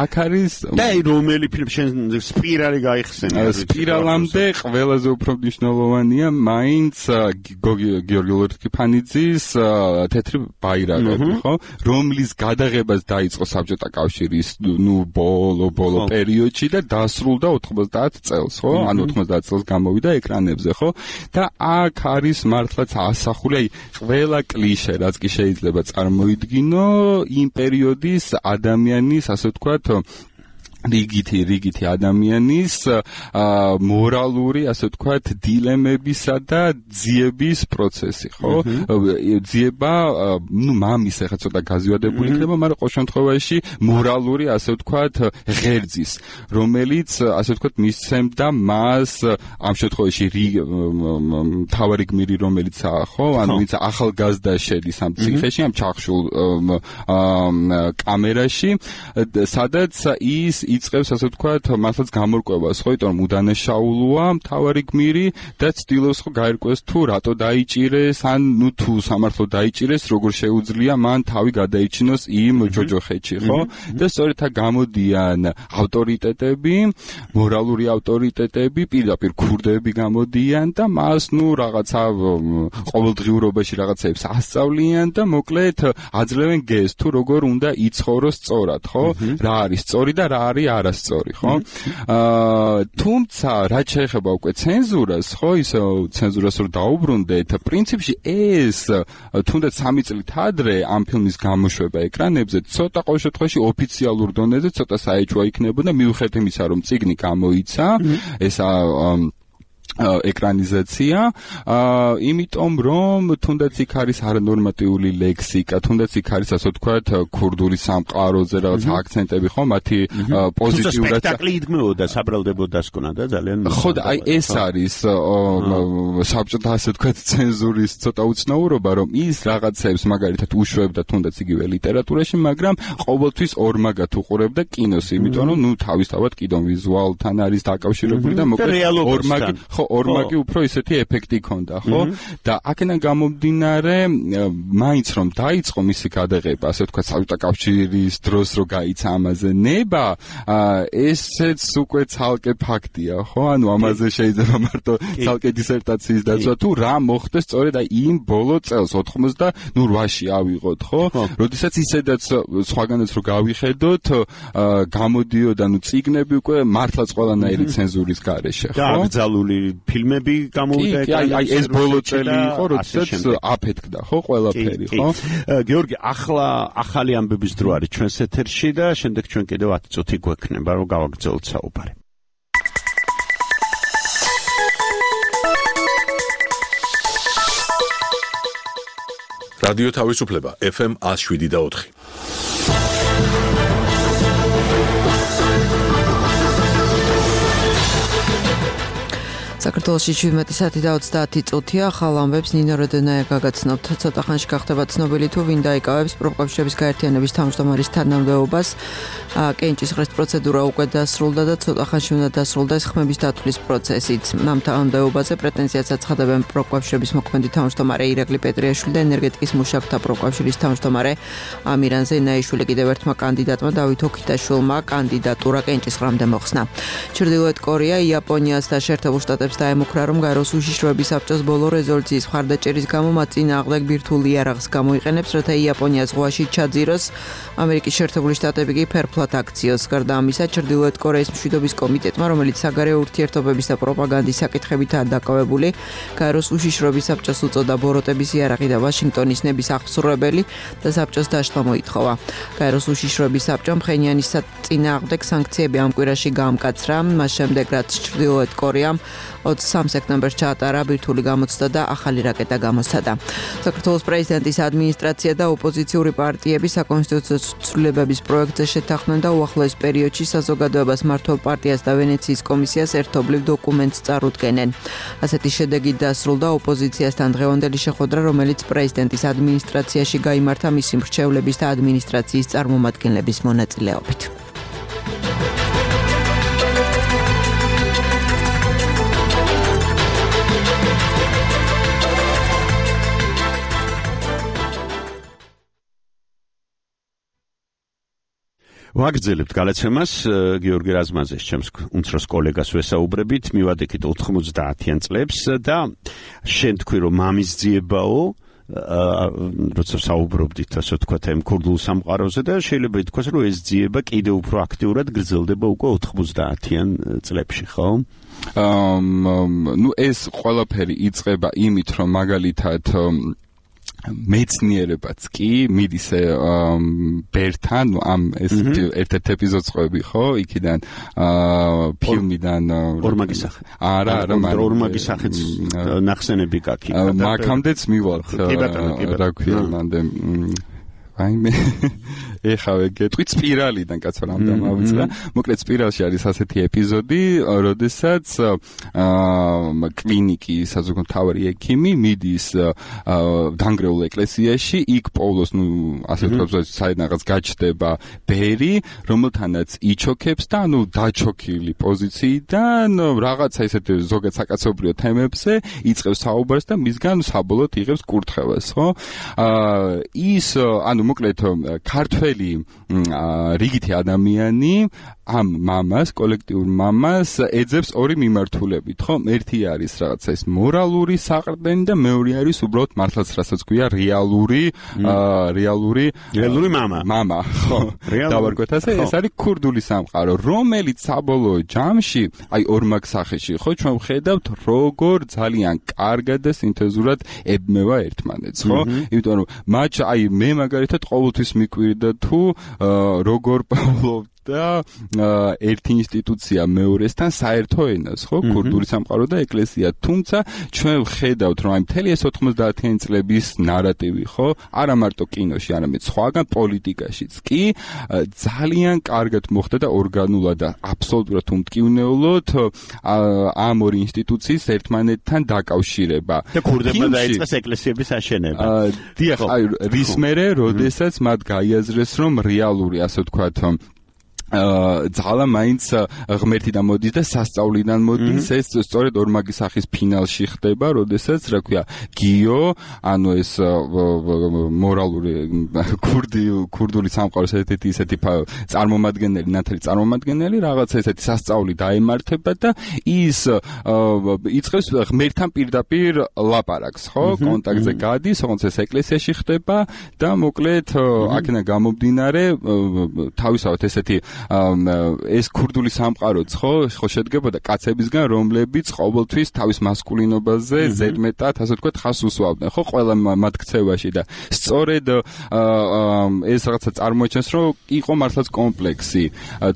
აქ არის და რომელი ფილმი შენ სპირალი გაიხსენე. სპირალამდე ყველაზე უფრო მნიშვნელოვანია მაინც გიორგი ლორთქიფანიძის თეთრი ბაირაღები, ხო? რომლის გადაღებას დაიწყო საბჭოთა კავშირის ნუ ბოლო ბოლო პერიოდში და დასრულდა ოთხმოცდაათ წელს, ხო? ანუ ოთხმოცდაათ წელს გამოვიდა ეკრანებზე, ხო? და აქ არის მართლაც ასახული, აი, ყველა კლიშე, რაც კი შეიძლება წარმოიდგინო იმ პერიოდის ადამიანის, ასე ვთქვათ, რიგითი რიგითი ადამიანის მორალური, ასე ვთქვათ, დილემებისა და ძიების პროცესი, ხო? ძიება, ნუ მამის ახლა ცოტა გაზიადებული იქნება, მაგრამ ყოველ შემთხვევაში მორალური, ასე ვთქვათ, ღერძის, რომელიც, ასე ვთქვათ, მისცემდა მას ამ შემთხვევაში მთავარი გმირი, რომელიცაა, ხო? ანუ ვინც ახალგაზრდა შედის ამ ციხეში, ამ ჩახშულ კამერაში, სადაც ის იწყებს, ასე ვთქვათ, მართლაც გამორკვევას, ხო, იმიტომ რომ უდანაშაულოა მთავარი გმირი და ცდილობს ხო გაერკვეს თუ რატო დაიჭირეს, ან ნუ თუ სამართლო დაიჭირეს, როგორ შეუძლია მან თავი გადაიჩინოს იმ ჯოჯოხეთში, ხო? და სწორედ აქ გამოდიან ავტორიტეტები, მორალური ავტორიტეტები, პირდაპირ ქურდები გამოდიან და მას ნუ რაღაცა ყოველდღიურობაში რაღაცებს ასწავლიან და მოკლედ აძლევენ გეზს თუ როგორ უნდა იცხოვროს სწორად, ხო? რა არის სწორი და რა არის არასწორი, ხო? აა თუმცა რაც შეეხება უკვე ცენზურას, ხო, ისე ცენზურას რო დაუბრუნდეთ, პრინციპში ეს თუნდაც სამი წლით ადრე ამ ფილმის გამოშვება ეკრანებზე ცოტა ყოველ შემთხვევაში ოფიციალურ დონეზე ცოტა საეჭვო იქნებოდა, მიუხედავად იმისა, რომ წიგნი გამოიცა, ესა ეკრანიზაცია, იმიტომ რომ თუნდაც იქ არის არანორმატიული ლექსიკა, თუნდაც იქ არის, ასე ვთქვათ, ქურდული სამყაროზე რაღაც აქცენტები, ხო, მათი პოზიტიურად სპექტაკლი იდგმეოდა, საბრალდებოდა სკონა და ძალიან ხო, აი ეს არის საბჭოთა, ასე ვთქვათ, ცენზურის ცოტა უცნაურობა, რომ ის რაღაცებს მაგალითად უშვებდა თუნდაც იგივე ლიტერატურაში, მაგრამ ყოველთვის ორმაგად უყურებდა კინოს, იმიტომ რომ ნუ თავისთავად კიდო ვიზუალთან არის დაკავშირებული და მოკლედ ორმაგი ხო ორმაგი უფრო ისეთი ეფექტი ჰქონდა, ხო? და აქედან გამომდინარე, მაინც რომ დაიწყო მისი გადაღება, ასე ვთქვათ, საბჭოთა კავშირის დროს რო გაიცა ამაზე ნება, ესეც უკვე ცალკე ფაქტია, ხო? ანუ ამაზე შეიძლება მარტო ცალკე დისერტაციის დაცვა თუ რა მოხდეს სწორედ აი იმ ბოლო წელს ოცდაოთხმოცდაოთხში ავიღოთ, ხო? როდესაც ისედაც სხვაგანაც რო გავიხედოთ, გამოდიოდა ნუ წიგნები უკვე მართლაც ყველანაირი ცენზურის გარეშე, ხო? და აკრძალული ფილმები გამოვიდა ეკრანზე. აი ეს ბოლო წელი იყო, როდესაც აფეთქდა, ხო, ყველაფერი, ხო? გიორგი, ახლა ახალი ამბების დრო არის ჩვენს ეთერში და შემდეგ ჩვენ კიდევ ათი წუთი გვექნება, რომ გავაგრძელოთ საუბარი. რადიო თავისუფლება ეფ ემ one oh seven point four. საქართველოში შვიდმეტი საათი და ოცდაათი წუთია. ახალ ამბებს ნინო როდენაია გაგაცნობთ. ცოტა ხანში გახდება ცნობილი თუ ვინ დაიკავებს პროფკავშირების გაერთიანების თავმჯდომარის თანამდებობას. კენჭისყრის პროცედურა უკვე დასრულდა და ცოტა ხანში უნდა დასრულდეს ხმების დათვლის პროცესიც. ამ თანამდებობაზე პრეტენზიას აცხადებენ პროფკავშირების მოქმედი თავმჯდომარე ირაკლი პეტრიაშვილი და ენერგეტიკის მუშაკთა პროფკავშირის თავმჯდომარე ამირან ზენაიშვილი. კიდევ ერთმა კანდიდატმა დავით ოქიტაშვილმა კანდიდატურა კენჭისყრამდე მოხსნა. ჩრდილოეთ კორეა იაპონიას და შეერთებულ შტატებს დაემუქრა, რომ გაეროს უშიშროების საბჭოს ბოლო რეზოლუციის მხარდაჭერის გამო მათ წინააღმდეგ ბირთვული იარაღს გამოიყენებს, რათა იაპონია ზღვაში ჩაძიროს. ამერიკის შეერთებული შტატები კი ფერფლად აქციოს. გარდა ამისა, ჩრდილოეთ კორეის მშვიდობის კომიტეტმა, რომელიც საგარეო ურთიერთობების და პროპაგანდის საკითხებითაა დაკავებული, გაეროს უშიშროების საბჭოს უწოდა ბოროტების იარაღი და ვაშინგტონის ნების აღსრულებელი და საბჭოს დაშლა მოითხოვა. გაეროს უშიშროების საბჭომ ფხენიანის წინააღმდეგ სანქციები ამ კვირაში გაამკაცრა, მას შემდეგ რაც ჩრდილოეთ კორეამ ოცდამეორე სექტემბერს ჩაატარა ბირთვული გამოცდა და ახალი რაკეტა გამოსცადა. საქართველოს პრეზიდენტის ადმინისტრაცია და ოპოზიციური პარტიები საკონსტიტუციო ცვლილებების პროექტზე შეთანხმდნენ და უახლოეს პერიოდში საზოგადოებას მმართველ პარტიას და ვენეციის კომისიას ერთობლივ დოკუმენტს წარუდგენენ. ასეთი შედეგით დასრულდა ოპოზიციასთან დღევანდელი შეხვედრა, რომელიც პრეზიდენტის ადმინისტრაციაში გაიმართა მისი მრჩევლების და ადმინისტრაციის წარმომადგენლების მონაწილეობით. ვაგრძელებთ გადაცემას გიორგი რაზმაძეს, ჩემს უმცროს კოლეგას ვესაუბრებით, მივადექით ოთხმოცდაათიან წლებს და შენ თქვი რომ მამის ძიებაო, როცა საუბრობდით ასე ვთქვათ ამ ქურდულ სამყაროზე და შეიძლება ითქვას რომ ეს ძიება კიდევ უფრო აქტიურად გრძელდება უკვე ოთხმოცდაათიან წლებში, ხო? აა ნუ ეს ყველაფერი იწყება იმით რომ მაგალითად მეცნიერებაც კი მიდის ბერთან ამ ეს ერთ-ერთ ეპიზოდს ყვები ხო იქიდან ფილმიდან ორმაგის სახე არა არა ორმაგის სახეც ნახსენები გაქი მაგამდეც მივართ რა ქვია მანდე აი მე ეხავე გეტყვი სპირალიდან კაცო რამდენ ავიწყდა მოკლედ სპირალში არის ასეთი ეპიზოდი როდესაც აა კლინიკი საზოგადო მთავარი ექიმი მიდის დანგრეულ ეკლესიაში იქ პოულოს ნუ ასე ვთქვათ საერთოდ გაჩდება ბერი რომელთანაც იჩოქებს და ანუ დაჩოქილი პოზიციიდან რაღაცა ისეთ ზოგად საკაცობრიო თემებზე იწყებს საუბარს და მისგან საბოლოოდ იღებს კურთხევას ხო აა ის ანუ მოკლედ ქართველი რიგითი ადამიანი ამ მამას, კოლექტიურ მამას ეძებს ორი მიმართულებით, ხო? ერთი არის რაღაცა ეს მორალური საყრდენი და მეორე არის უბრალოდ მართლაც რასაც ქვია რეალური, რეალური, რეალური მამა. მამა, ხო? დავარქვეთ ასე, ეს არის ქურდული სამყარო, რომელიც საბოლოო ჯამში, აი ორმაგ სახეში, ხო, ჩვენ ვხედავთ, როგორ ძალიან კარგად და სინთეზურად ებმევა ერთმანეთს, ხო? იმიტომ რომ მათ აი მე მაგალითად ყოველთვის მიკვირდა თუ როგორ პავლოვ და ერთი ინსტიტუცია მეორესთან საერთო ენას, ხო, ქურდული სამყარო და ეკლესია. თუმცა ჩვენ ვხედავთ, რომ აი მთელი ეს ოთხმოცდაათიან წლების ნარატივი, ხო, არა მარტო კინოში, არამედ სხვაგან პოლიტიკაშიც კი ძალიან კარგად მოხდა და ორგანულად და აბსოლუტურად უმტკივნეულოდ ამ ორი ინსტიტუციის ერთმანეთთან დაკავშირება. და ქურდებმა დაიწყეს ეკლესიების აშენება. დიახ, აი რის მერე, როდესაც მათ გაიაზრეს, რომ რეალური, ასე ვთქვათ, აა ძალა მაინც ღმერთი და მოდის და სასწაულიდან მოდის ეს სწორედ ორმაგი სახის ფინალში ხდება, როდესაც რა ქვია გიო, ანუ ეს მორალური ქურდი ქურდული სამყაროს ერთ-ერთი ისეთი წარმომადგენელი, ნათელი წარმომადგენელი, რაღაცა ესეთი სასწაული დაემართება და ის იწყებს ღმერთთან პირდაპირ ლაპარაკს, ხო? კონტაქტზე გადის, თუმცა ეს ეკლესიაში ხდება და მოკლედ აქედან გამომდინარე თავისავთ ესეთი ეს ქურდული სამყაროც ხო ხო შედგებოდა კაცებისგან რომლებიც ყოველთვის თავის მასკულინობაზე ზედმეტად ასე ვთქვათ ხას უსვამდნენ ხო ყველა მათ ქცევაში და სწორედ ეს რაღაცა წარმოაჩენს რომ იყო მართლაც კომპლექსი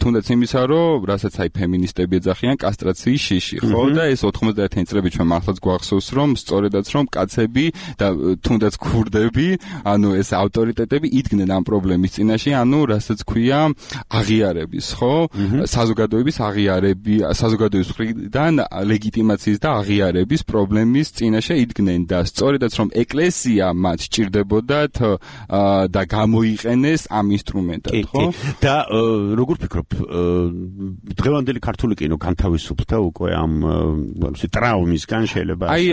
თუნდაც იმისა რომ რასაც აი ფემინისტები ეძახიან კასტრაციის შიში ხო და ეს ოთხმოცდაათიანი წლები ჩვენ მართლაც გვახსოვს რომ სწორედაც რომ კაცები და თუნდაც ქურდები ანუ ეს ავტორიტეტები იდგნენ ამ პრობლემის წინაშე ანუ რასაც ქვია აღიარეს აღიარების, ხო? საზოგადოების აღიარები, საზოგადოების მხრიდან ლეგიტიმაციის და აღიარების პრობლემის წინაშე იდგნენ და სწორედაც რომ ეკლესია მათ სჭირდებოდათ და გამოიყენეს ამ ინსტრუმენტად, ხო? და როგორ ფიქრობ, დღევანდელი ქართული კინო განთავისუფლდა უკვე ამ ტრაუმისგან შეიძლება აი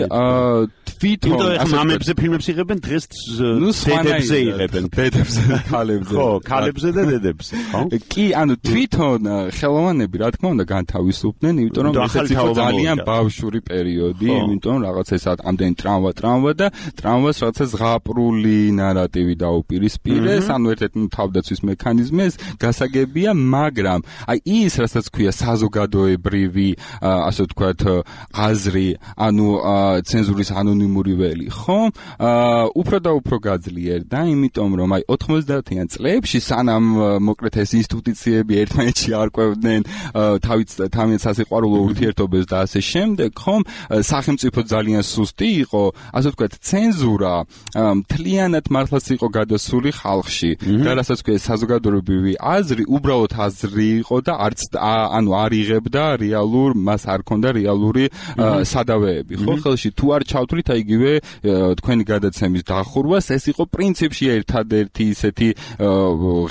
თვითონ ამებზე ფილმებს იღებენ დღეს დედებზე იღებენ დედებზე ქალებზე ხო ქალებზე და დედებზე ხო კი ანუ თვითონ ხელოვანები რა თქმა უნდა განთავისუფლდნენ იმიტომ რომ ესეც იყო ძალიან ბავშვური პერიოდი იმიტომ რომ რაღაც ეს ამდენი ტრამვა ტრამვა და ტრამვას რაღაცა ზღაპრული ნარატივი დაუპირისპირეს ანუ ერთ-ერთი თავდაცვის მექანიზმი ეს გასაგებია მაგრამ აი ის რასაც ქვია საზოგადოებრივი ასე ვთქვათ აზრი ანუ ცენზურის ანონიმური ველი ხო უფრო და უფრო გაძლიერდა იმიტომ რომ აი ოთხმოცდაათიან წლებში სანამ მოკლედ ეს ინსტიტუციები ერთმანეთში არკვევდნენ თავის თავის სასიყვარულო ურთიერთობებს და ასე შემდეგ ხომ სახელმწიფო ძალიან სუსტი იყო ასე ვთქვათ ცენზურა მთლიანად მართლაც იყო გადასული ხალხში და რასაც ქვია საზოგადოებრივი აზრი უბრალოდ აზრი იყო და არც ანუ არ იღებდა რეალურ მას არ ქონდა რეალური სადავეები ხო ხელში თუ არ ჩავთვლით აი იგივე თქვენი გადაცემის დახურვას ეს იყო პრინციპში ერთადერთი ისეთი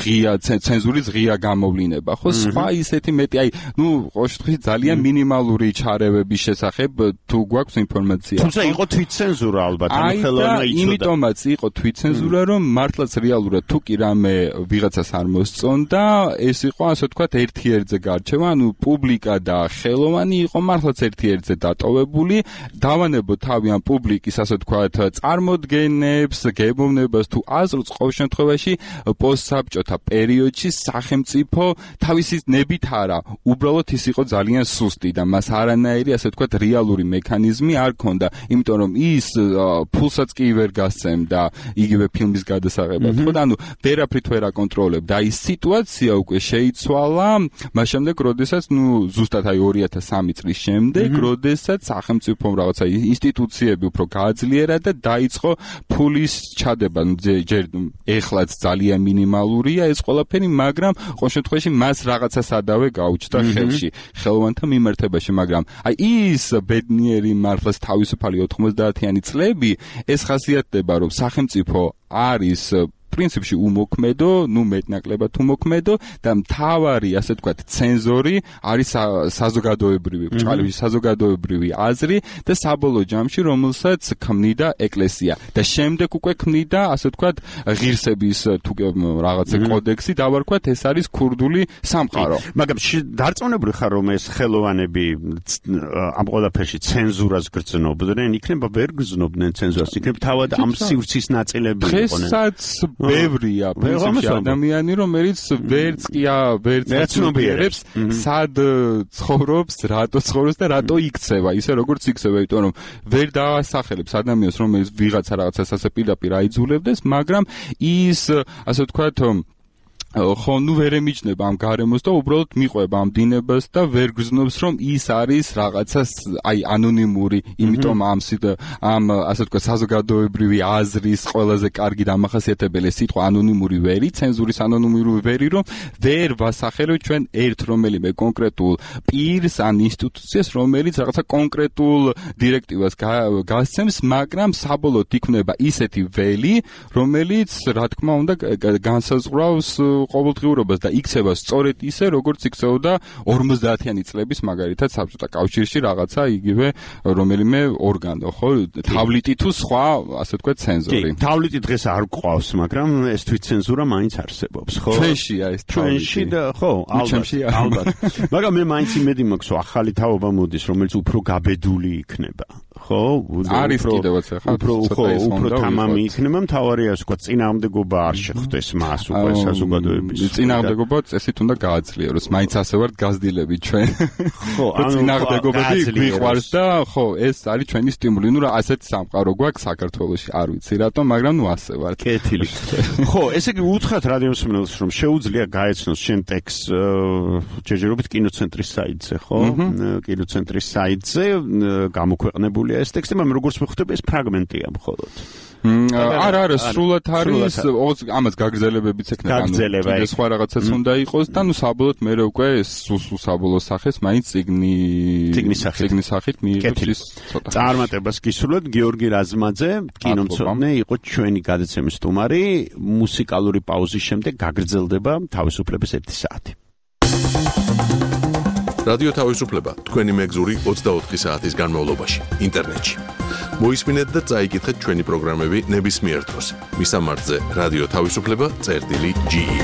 ღია ცენზურის ღია გამოვლინება ხო სხვა ისეთი მეტი აი ნუ ყოველთვის ძალიან მინიმალური ჩარევების შესახებ თუ გვაქვს ინფორმაცია თუმცა იყო თვითცენზურა ალბათ ანუ ხელოვანა იცოდა იმიტომაც იყო თვითცენზურა რომ მართლაც რეალურად თუ კი რამე ვიღაცას არ მოსწონდა ეს იყო ასე ვთქვათ ერთ-ერთზე გარჩევა ანუ პუბლიკა და ხელოვანი იყო მართლაც ერთ-ერთზე დატოვებული დავანებო თავი ამ პუბლიკის ასე ვთქვათ წარმოდგენებს გებოვნებას თუ აზრს ყოველ შემთხვევაში პოსტსაბჭოთა პერიოდში სახელმწიფო თავისი ნებით არა უბრალოდ ის იყო ძალიან სუსტი და მას არანაირი ასე ვთქვათ რეალური მექანიზმი არ ქონდა იმიტომ რომ ის ფულსაც კი ვერ გასცემდა იგივე ფილმის გადასაღებად ხო და ანუ ვერაფრით ვერ აკონტროლებდა აი სიტუაცია უკვე შეიცვალა მას შემდეგ როდესაც ნუ ზუსტად აი ორი ათას სამი წლის შემდეგ როდესაც სახელმწიფომ რაღაცა ინსტიტუციები უფრო გააძლიერა და დაიწყო ფულის ჩადება ჯერ ეხლაც ძალიან მინიმალურია ეს ყველაფერი მაგრამ ყოველ შემთხვევაში მას რაღაცა სადავე გაუჩნდა ხელში ხელოვანთა მიმართებაში მაგრამ აი ის ბედნიერი მართლაც თავისუფალი ოთხმოცდაათიანი წლები ეს ხასიათდება რომ სახელმწიფო არის პრინციპში უმოქმედო, ნუ მეტნაკლებად უმოქმედო და მთავარი, ასე ვთქვათ, ცენზორი არის საზოგადოებრივი, ბრჭყალების საზოგადოებრივი აზრი და საბოლოო ჯამში რომელსაც ქმნიდა ეკლესია და შემდეგ უკვე ქმნიდა, ასე ვთქვათ, ღირსების თუ რაღაცა კოდექსი დავარქვათ, ეს არის ქურდული სამყარო. მაგრამ დარწმუნებული ხარ რომ ეს ხელოვანები ამ ყველაფერში ცენზურას გრძნობდნენ, იქნება ვერ გრძნობდნენ ცენზურას, იქნება თავად ამ სივრცის ნაწილები იყვნენ. დღესაც ბევრია პრინციპში ადამიანი რომელიც ვერც კი ვერც ცნობიერებს სად ცხოვრობს, რატო ცხოვრობს და რატო იქცევა, ისე როგორც იქცევა, იმიტომ რომ ვერ დაასახელებს ადამიანს რომელიც ვიღაცა რაღაცას ასე პირდაპირ აიძულებდეს, მაგრამ ის ასე ვთქვათ ხო ნუ ვერ ემიჯნება ამ გარემოს და უბრალოდ მიყვება ამ დინებას და ვერ გრძნობს რომ ის არის რაღაცა აი ანონიმური, იმიტომ ამ ამ ასე ვთქვათ საზოგადოებრივი აზრის ყველაზე კარგი დამახასიათებელი სიტყვა ანონიმური ვერი, ცენზურის ანონიმური ვერი, რომ ვერ ვასახელებ ჩვენ ერთ რომელიმე კონკრეტულ პირს ან ინსტიტუციას, რომელიც რაღაცა კონკრეტულ დირექტივას გასცემს, მაგრამ საბოლოოდ იქნება ისეთი ველი, რომელიც რა თქმა უნდა განსაზღვრავს ყოველდღიურობას და იქცევა სწორედ ისე, როგორც იქცეოდა ორმოცდაათიანი წლების მაგალითად საბჭოთა კავშირში რაღაცა იგივე რომელიმე ორგანო, ხო, თავლიტი თუ სხვა, ასე ვთქვათ, ცენზორი. კი, თავლიტი დღეს არ გვყავს, მაგრამ ეს თვითცენზურა მაინც არსებობს, ხო? ჩვენშია ეს თავლიტი. ჩვენში და ხო, ალბათ, ალბათ. მაგრამ მე მაინც იმედი მაქვს, რომ ახალი თაობა მოდის, რომელიც უფრო გაბედული იქნება. ხო, არის კიდევაც ახლა უფრო ხო, უფრო თამამი იქნება, მთავარია, ასე ვთქვათ, წინააღმდეგობა არ შეხვდეს მას უკვე საზოგადოების. წინააღმდეგობა წესით უნდა გააძლიეროს, მაინც ასე ვართ გაზრდილები ჩვენ. ხო, ანუ წინააღმდეგობები გვიყვარს და ხო, ეს არის ჩვენი სტიმული. ნუ რა ასეთ სამყარო გვაქვს საქართველოში, არ ვიცი რატომ, მაგრამ ნუ ასე ვართ. კეთილი. ხო, ესე იგი უთხრათ რადიომსმენელს, რომ შეუძლია გაეცნოს შენ ტექსტს ჯერჯერობით კინოცენტრის საიტზე, ხო? კინოცენტრის საიტზე გამოქვეყნებულია ეს ტექსტი, მაგრამ როგორც ვხვდები, ეს ფრაგმენტია მხოლოდ. არა, არა, სრულად არის, ამას გაგრძელებებიც ექნება, გაგრძელება ეს სხვა რაღაცაც უნდა იყოს და ნუ საბოლოოდ მე უკვე სულ საბოლოო სახეს მაინც ციგნი ციგნის სახით ციგნის სახით მიიღებს ცოტა წარმატებას გისურვებთ. გიორგი რაზმაძე, კინომცოდნე იყო ჩვენი გადაცემის სტუმარი. მუსიკალური პაუზის შემდეგ გაგრძელდება თავისუფლების ერთი საათი. რადიო თავისუფლება თქვენი მეგზური ოცდაოთხი საათის განმავლობაში ინტერნეტში. მოისმინეთ და წაიკითხეთ ჩვენი პროგრამები ნებისმიერ დროს. მისამართზე რადიო თავისუფლება წერტილი ჯი ი.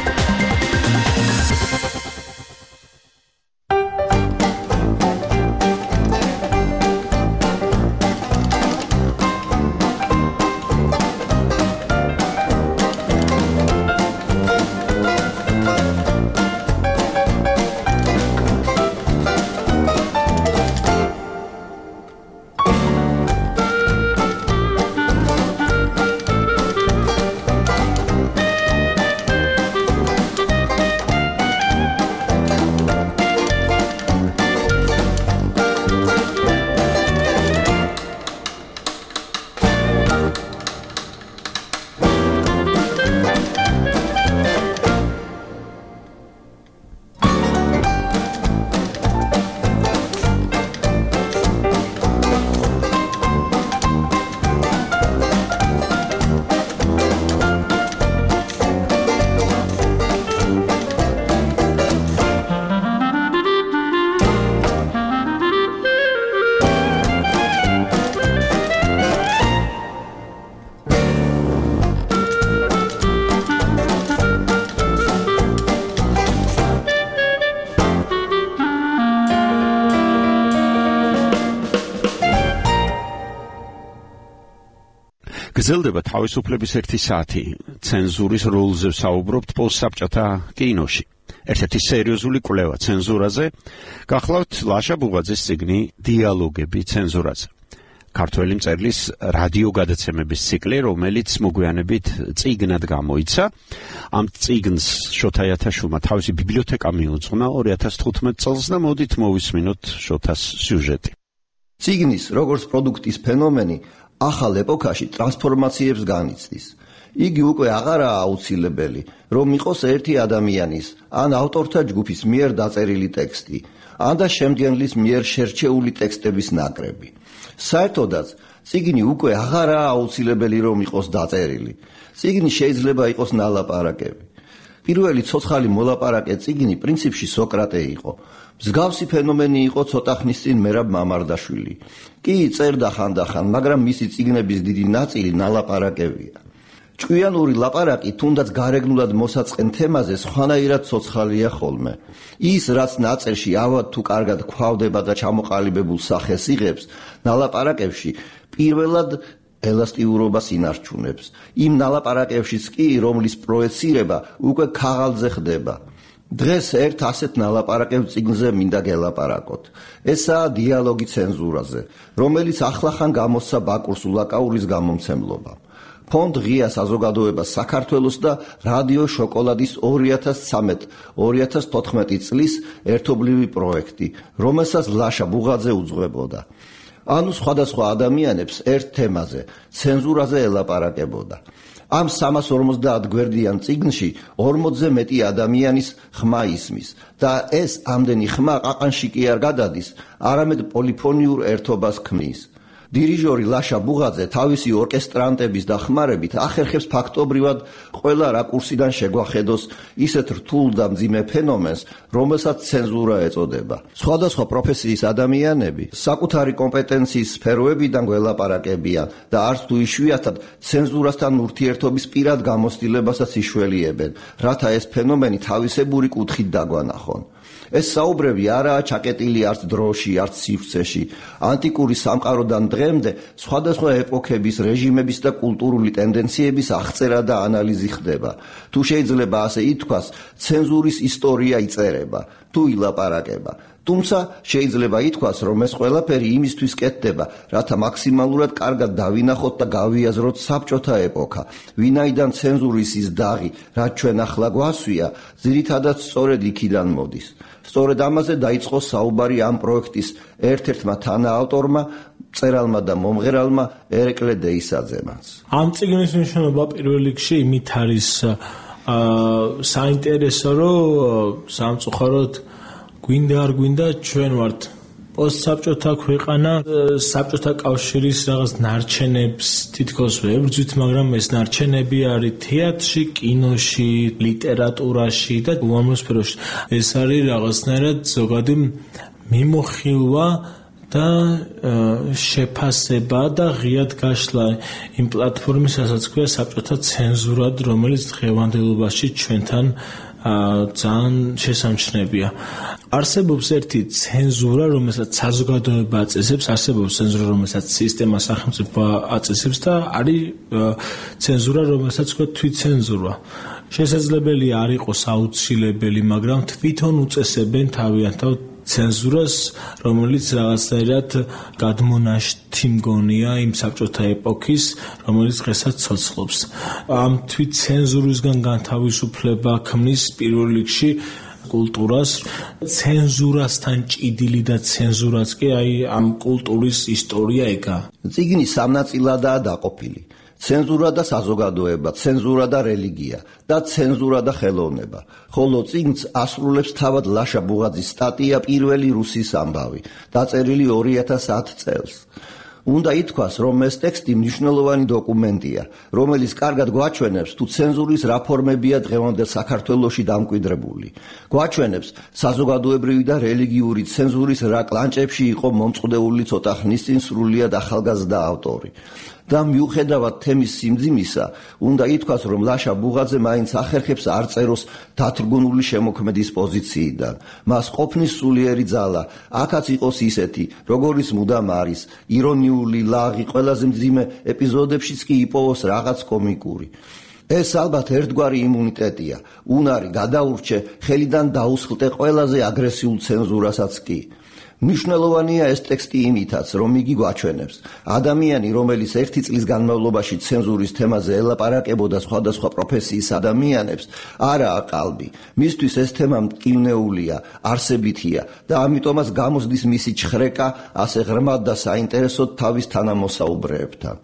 გრძელდება თავისუფლების ერთი საათი. ცენზურის როლზე ვსაუბრობთ პოსტსაბჭოთა კინოში. ერთ-ერთი სერიოზული კვლევა ცენზურაზე. გახლავთ ლაშა ბუღაძის წიგნი დიალოგები ცენზურაზე. ქართველი მწერლის რადიო გადაცემების ციკლი, რომელიც მოგვიანებით წიგნად გამოიცა. ამ წიგნს შოთა იათაშვილმა თავისი ბიბლიოთეკა მიუძღვნა ორი ათას თხუთმეტ წელს და მოდით მოვისმინოთ შოთას სიუჟეტი. წიგნის როგორც პროდუქტის ფენომენი ახალ ეპოქაში ტრანსფორმაციებს განიცდის. იგი უკვე აღარაა აუცილებელი, რომ იყოს ერთი ადამიანის ან ავტორთა ჯგუფის მიერ დაწერილი ტექსტი, ან და შემდგენლის მიერ შერჩეული ტექსტების ნაკრები. საერთოდაც, წიგნი უკვე აღარაა აუცილებელი, რომ იყოს დაწერილი. წიგნი შეიძლება იყოს ნალაპარაკები. პირველი ცოცხალი მოლაპარაკე წიგნი პრინციპში სოკრატე იყო. მსგავსი ფენომენი იყო ცოტა ხნის წინ მერაბ მამარდაშვილი. კი წერდა ხანდახან, მაგრამ მისი წიგნების დიდი ნაწილი ნალაპარაკებია. ჭკვიანური ლაპარაკი თუნდაც გარეგნულად მოსაწყენ თემაზე სხვანაირად ცოცხალია ხოლმე. ის, რაც ნაწერში ავად თუ კარგად გვხვდება და ჩამოყალიბებულ სახეს იღებს, ნალაპარაკებში პირველად ელასტიურობას ინარჩუნებს. იმ ნალაპარაკებშიც კი, რომლის პროეცირება უკვე ქაღალდზე ხდება. დღეს ერთ ასეთ ნალაპარაკებ წიგნზე მინდა გელაპარაკოთ. ესაა დიალოგი ცენზურაზე, რომელიც ახლახან გამოსცა ბაკურს ულაკაურის გამომცემლობამ. ფონდ ღია საზოგადოება საქართველოს და რადიო შოკოლადის ორი ათას ცხრამეტ ორი ათას თოთხმეტი წლის ერთობლივი პროექტი, რომელსაც ლაშა ბუღაძე უძღვებოდა. ანუ სხვადასხვა ადამიანებს ერთ თემაზე, ცენზურაზე ელაპარაკებოდა. ამ სამას ორმოცდაათ გვერდიან წიგნში ორმოცზე მეტი ადამიანის ხმა ისმის და ეს ამდენი ხმა ყაყანში კი არ გადადის, არამედ პოლიფონიურ ერთობას ქმნის. დირიჟორი ლაშა ბუღაძე თავისი ორკესტრანტების დახმარებით ახერხებს ფაქტობრივად ყველა რაკურსიდან შეგვახედოს ისეთ რთულ და მძიმე ფენომენს, რომელსაც ცენზურა ეწოდება. სხვადასხვა პროფესიის ადამიანები საკუთარი კომპეტენციის სფეროებიდან გველაპარაკებიან და არც თუ იშვიათად ცენზურასთან ურთიერთობის პირად გამოცდილებასაც იშველიებენ, რათა ეს ფენომენი თავისებური კუთხით დაგვანახონ. ეს საუბრები არაა ჩაკეტილი არც დროში, არც სივრცეში. ანტიკური სამყაროდან დღემდე სხვადასხვა ეპოქების, რეჟიმების და კულტურული ტენდენციების აღწერა და ანალიზი ხდება. თუ შეიძლება ასე ითქვას, ცენზურის ისტორია იწერება, თუ ილაპარაკება. თუმცა შეიძლება ითქვას, რომ ეს ყველაფერი იმისთვის კეთდება, რათა მაქსიმალურად კარგად დავინახოთ და გავიაზროთ საბჭოთა ეპოქა, ვინაიდან ცენზურის ის დაღი, რაც ჩვენ ახლა გვასვია, ძირითადად სწორედ იქიდან მოდის. სწორედ ამაზე დაიწყო საუბარი ამ პროექტის ერთ-ერთმა თანაავტორმა მწერალმა და მომღერალმა ერეკლე დეისაძემაც. ამ წიგნის მნიშვნელობა პირველ რიგში იმით არის საინტერესო, რომ სამწუხაროდ გვინდა არ გვინდა ჩვენ ვართ პოსტსაბჭოთა ქვეყანა, საბჭოთა კავშირის რაღაც ნარჩენებს თითქოს ვებრძვით, მაგრამ ეს ნარჩენები არის თეატრში, კინოში, ლიტერატურაში და უამრავ სფეროში. ეს არის რაღაცნაირად ზოგადი მიმოხილვა და შეფასება და ღიად გაშლა იმ პლატფორმის, რასაც ქვია საბჭოთა ცენზურად, რომელიც დღევანდელობაში ჩვენთან ძალიან შესამჩნევია. არსებობს ერთი ცენზურა, რომელსაც საზოგადოება აწესებს, არსებობს ცენზურა, რომელსაც სისტემა სახელმწიფო აწესებს და არის ცენზურა, რომელსაც ქვია თვითცენზურა. შესაძლებელია არ იყოს აუცილებელი, მაგრამ თვითონ უწესებენ თავიანთად ცენზურას, რომელიც რაღაცნაირად გადმონაშთი მგონია იმ საბჭოთა ეპოქის, რომელიც დღესაც ცოცხლობს. ამ თვითცენზურისგან განთავისუფლება ქმნის პირველ რიგში კულტურას, ცენზურასთან ჭიდილი და ცენზურაც კი აი ამ კულტურის ისტორია ეგა. წიგნი სამ ნაწილადაა დაყოფილი. ცენზურა და საზოგადოება, ცენზურა და რელიგია და ცენზურა და ხელოვნება. ხოლო წიგნს ასრულებს თავად ლაშა ბუღაძის სტატია პირველი რუსის ამბავი, დაწერილი ორი ათას ათ წელს. უნდა ითქვას, რომ ეს ტექსტი მნიშვნელოვანი დოკუმენტია, რომელიც კარგად გვაჩვენებს, თუ ცენზურის რა ფორმებია დღევანდელ საქართველოში დამკვიდრებული. გვაჩვენებს საზოგადოებრივი და რელიგიური ცენზურის რა კლანჭებში იყო მომწყდეული ცოტა ხნის წინ სრულიად ახალგაზრდა ავტორი. და მიუხედავად თემის სიმძიმისა, უნდა ითქვას, რომ ლაშა ბუღაძე მაინც ახერხებს არ წეროს დათრგუნული შემოქმედის პოზიციიდან. მას ყოფნის სულიერი ძალა, აქაც იყოს ისეთი, როგორიც მუდამ არის, ირონიული, ლაღი, ყველაზე მძიმე ეპიზოდებშიც კი იპოვოს რაღაც კომიკური. ეს ალბათ ერთგვარი იმუნიტეტია, უნარი გადაურჩე, ხელიდან დაუსხლტე ყველაზე აგრესიულ ცენზურასაც კი. მნიშვნელოვანია ეს ტექსტი იმითაც, რომ იგი გვაჩვენებს, ადამიანი, რომელიც ერთი წლის განმავლობაში ცენზურის თემაზე ელაპარაკებოდა სხვადასხვა პროფესიის ადამიანებს, არაა ყალბი. მისთვის ეს თემა მტკივნეულია, არსებითია და ამიტომაც გამოსდის მისი ჩხრეკა ასე ღრმად და საინტერესოდ თავის თანამოსაუბრეებთან.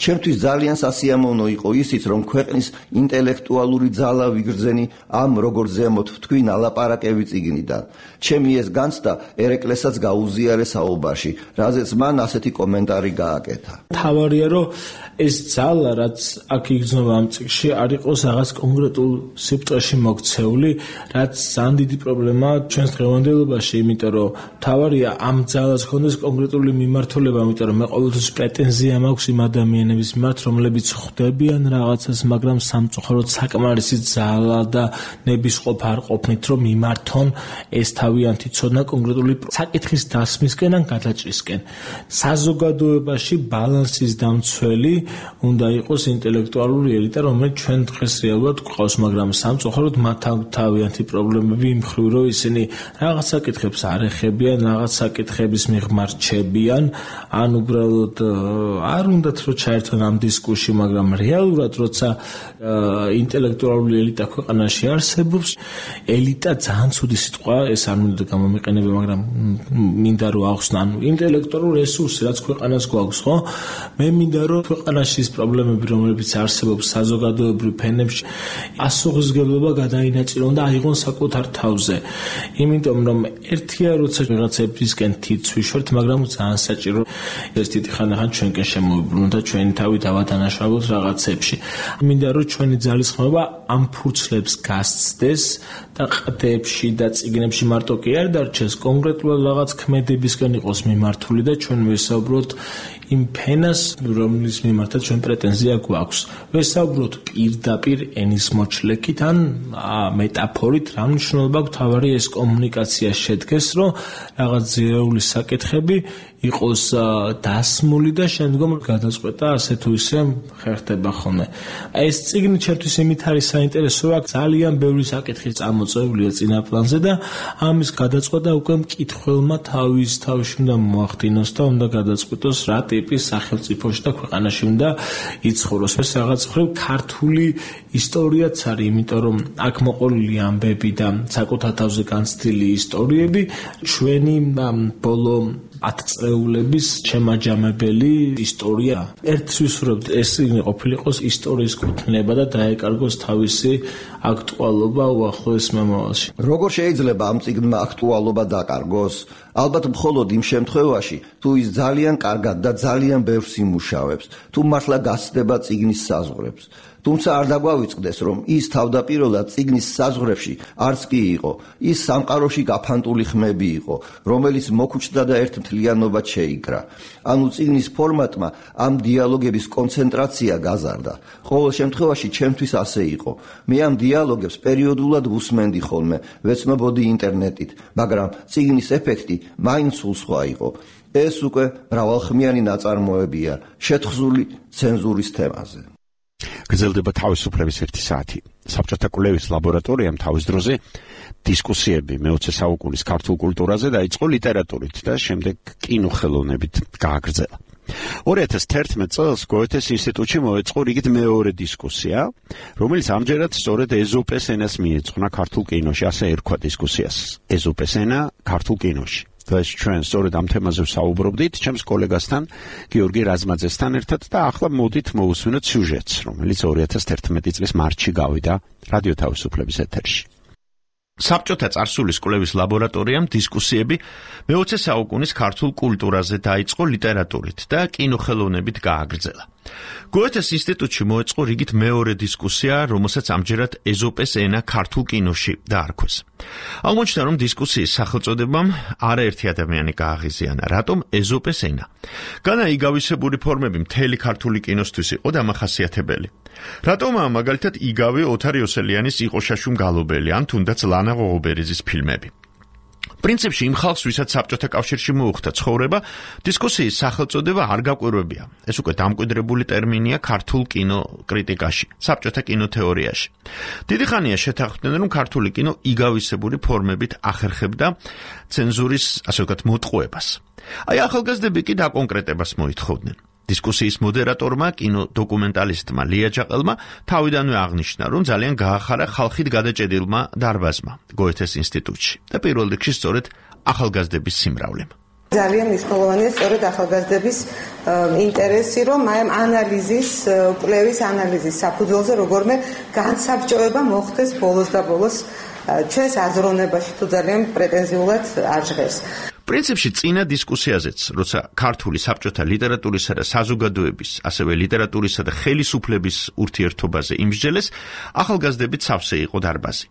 ჩემთვის ძალიან სასიამოვნო იყო ისიც, რომ ქვეყნის ინტელექტუალური ძალა ვიგრძენი ამ როგორც ზემოთ ვთქვი ნალაპარაკები წიგნიდან. ჩემი ეს განცდა ერეკლესაც გაუზიარე საუბარში, რაზეც მან ასეთი კომენტარი გააკეთა. თავარია, რომ ეს ძალა, რაც აქ იგრძნობა ამ წიგნში, არ იყოს რაღაც კონკრეტულ სიბრტყეში მოქცეული, რაც ძალიან დიდი პრობლემაა ჩვენს დღევანდელობაში, იმიტომ რომ თავარია ამ ძალას ჰქონდეს კონკრეტული მიმართულება, იმიტომ რომ მე ყოველთვის პრეტენზია მაქვს იმ ადამიანების მიმართ, რომლებიც ხვდებიან რაღაცას, მაგრამ სამწუხაროდ საკმარისი ძალა და ნებისყოფ არ ყოფნით, რომ მიმართონ ეს თავიანთი ცოდნა კონკრეტული საკითხის დასმისკენ ან გადაჭრისკენ. საზოგადოებაში ბალანსის დამცველი უნდა იყოს ინტელექტუალური ელიტა, რომელიც ჩვენ დღეს რეალურად გვყავს, მაგრამ სამწუხაროდ მათ თავიანთი პრობლემები იმხრივ, რომ ისინი რაღაც საკითხებს არ ეხებიან, რაღაც საკითხების მიღმართ რჩებიან, ან უბრალოდ არ უნდათ რომ ჩაერთონ ამ დისკუსში, მაგრამ რეალურად როცა ინტელექტუალური ელიტა ქვეყანაში არსებობს, ელიტა ძალიან ცუდი სიტყვა, ეს არ მინდა გამომიყენებია, მაგრამ მინდა რომ ახსნა, ანუ ინტელექტუალური რესურსი, რაც ქვეყანას გვაქვს, ხო? მე მინდა რომ ქვეყანაში ის პრობლემები, რომლებიც არსებობს საზოგადოებრივ ფენებში, ასუღისგებლობა გადაინაწილონ და აიღონ საკუთარ თავზე. იმიტომ რომ ერთია როცა რაღაცებისკენ თითს ვიშვერთ, მაგრამ ძალიან საჭირო ეს თითი ხანდახან ჩვენკენ შემოვიბრუნოთ და ჩვენი თავი დავადანაშაულოთ რაღაცებში. მინდა რომ ჩვენი ძალისხმევა ამ ფურცლებს გასცდეს და ყდებში და წიგნებში მარტო კი არ დარჩეს, კონკრეტულად რაღაც ქმედებისკენ იყოს მიმართული და ჩვენ ვესაუბროთ იმ ფენას, რომლის მიმართაც ჩვენ პრეტენზია გვაქვს. ვესაუბროთ პირდაპირ ენის მოჩლექით ან მეტაფორით, რა მნიშვნელობა აქვს თავარი ეს კომუნიკაცია შედგეს, რომ რაღაც ზირეული საკითხები იყოს დასმული და შემდგომ გადაწყვეტა ასე თუ ისე ხერხდება ხოლმე. ეს წიგნი ჩემთვის იმით არის საინტერესო, აქ ძალიან ბევრი საკითხი წამოწეულია წინა პლანზე და ამის გადაწყვეტა უკვე მკითხველმა თავის თავში უნდა მოახდინოს და უნდა გადაწყვეტოს რა ტიპის სახელმწიფოში და ქვეყანაში უნდა იცხოვროს. ეს რაღაც მხრივ ქართული ისტორიაც არის, იმიტომ რომ აქ მოყოლილი ამბები და საკუთარ თავზე განცდილი ისტორიები ჩვენი ბოლო ათწლეულების შემაჯამებელი ისტორია. ერთს ვისურვებთ ეს ყოფილიყოს ისტორიის კუთვნება და დაეკარგოს თავისი აქტუალობა უახლოეს მომავალში. როგორ შეიძლება ამ წიგნმა აქტუალობა დაკარგოს? ალბათ მხოლოდ იმ შემთხვევაში, თუ ის ძალიან კარგად და ძალიან ბევრს იმუშავებს, თუ მართლა გასცდება წიგნის საზღვრებს. თუმცა არ დაგვავიწყდეს, რომ ის თავდაპირველად წიგნის საზღვრებში არც კი იყო, ის სამყაროში გაფანტული ხმები იყო, რომელიც მოქუჩდა და ერთ მთლიანობად შეიკრა. ანუ წიგნის ფორმატმა ამ დიალოგების კონცენტრაცია გაზარდა. ყოველ შემთხვევაში ჩემთვის ასე იყო. მე ამ დიალოგებს პერიოდულად ვუსმენდი ხოლმე, ვეცნობოდი ინტერნეტით, მაგრამ წიგნის ეფექტი მაინც სულ სხვა იყო. ეს უკვე მრავალხმიანი ნაწარმოებია, შეთხზული ცენზურის თემაზე. გრძელდება თავისუფლების ერთი საათი. საბჭოთა კვლევის ლაბორატორიამ თავის დროზე დისკუსიები მეოცე საუკუნის ქართულ კულტურაზე დაიწყო ლიტერატურით და შემდეგ კინოხელოვნებით გააგრძელა. ორი ათას თერთმეტ წელს გოეთეს ინსტიტუტში მოეწყო რიგით მეორე დისკუსია, რომელიც ამჯერად სწორედ ეზოპეს ენას მიეძღვნა ქართულ კინოში, ასე ერქვა დისკუსიას. ეზოპეს ენა ქართულ კინოში. დღეს ჩვენ სწორედ ამ თემაზე ვსაუბრობდით ჩემს კოლეგასთან გიორგი რაზმაძესთან ერთად და ახლა მოდით მოусმინოთ სიუჟეტს, რომელიც ორი ათას თერთმეტი წლის მარტში გავიდა რადიო თავისუფლების ეთერში. საბჭოთა წარსულის კვლევის ლაბორატორიამ დისკუსიები მეოცე საუკუნის ქართულ კულტურაზე დაიწყო ლიტერატურით და კინოხელოვნებით გააგრძელა. გოეთეს ინსტიტუტში მოეწყო რიგით მეორე დისკუსია, რომელსაც ამჯერად ეზოპეს ენა ქართულ კინოში დაარქვეს. აღმოჩნდა, რომ დისკუსიის სახელწოდებამ არაერთი ადამიანი გააღიზიანა, რატომ ეზოპეს ენა. განა იგავისებური ფორმები მთელი ქართული კინოსთვის იყო დამახასიათებელი. რატომაა მაგალითად იგავი ოთარ იოსელიანის იყოშაშუმ გალობელი ან თუნდაც ლანა ღოღობერიძის ფილმები. პრინციპში იმ ხალხს, ვისაც საბჭოთა კავშირში მოუხდა ცხოვრება, დისკუსიის სახელწოდება არ გაკვირვებია. ეს უკვე დამკვიდრებული ტერმინია ქართულ კინო კრიტიკაში, საბჭოთა კინოთეორიაში. დიდი ხანია შეთანხმდნენ, რომ ქართული კინო იგავისებური ფორმებით ახერხებდა ცენზურის, ასე ვთქვათ, მოტყუებას. აი ახალგაზრდები კი დაკონკრეტებას მოითხოვდნენ. დისკუსიის მოდერატორმა, კინო დოკუმენტალისტმა ლია ჯაყელმა თავიდანვე აღნიშნა, რომ ძალიან გაახარა ხალხით გადაჭედილმა დარბაზმა გოეთეს ინსტიტუტში და პირველ რიგში სწორედ ახალგაზრდების სიმრავლემ. ძალიან მნიშვნელოვანია სწორედ ახალგაზრდების ინტერესი, რომ აი ამ ანალიზის, კვლევის ანალიზის საფუძველზე როგორმე განსაბჭოება მოხდეს ბოლოს და ბოლოს ჩვენს აზროვნებაში თუ ძალიან პრეტენზიულად არ ჟღერს. პრინციპში წინა დისკუსიაზეც, როცა ქართული საბჭოთა ლიტერატურისა და საზოგადოების, ასევე ლიტერატურისა და ხელისუფლების ურთიერთობაზე იმსჯელეს, ახალგაზრდებით სავსე იყო დარბაზი.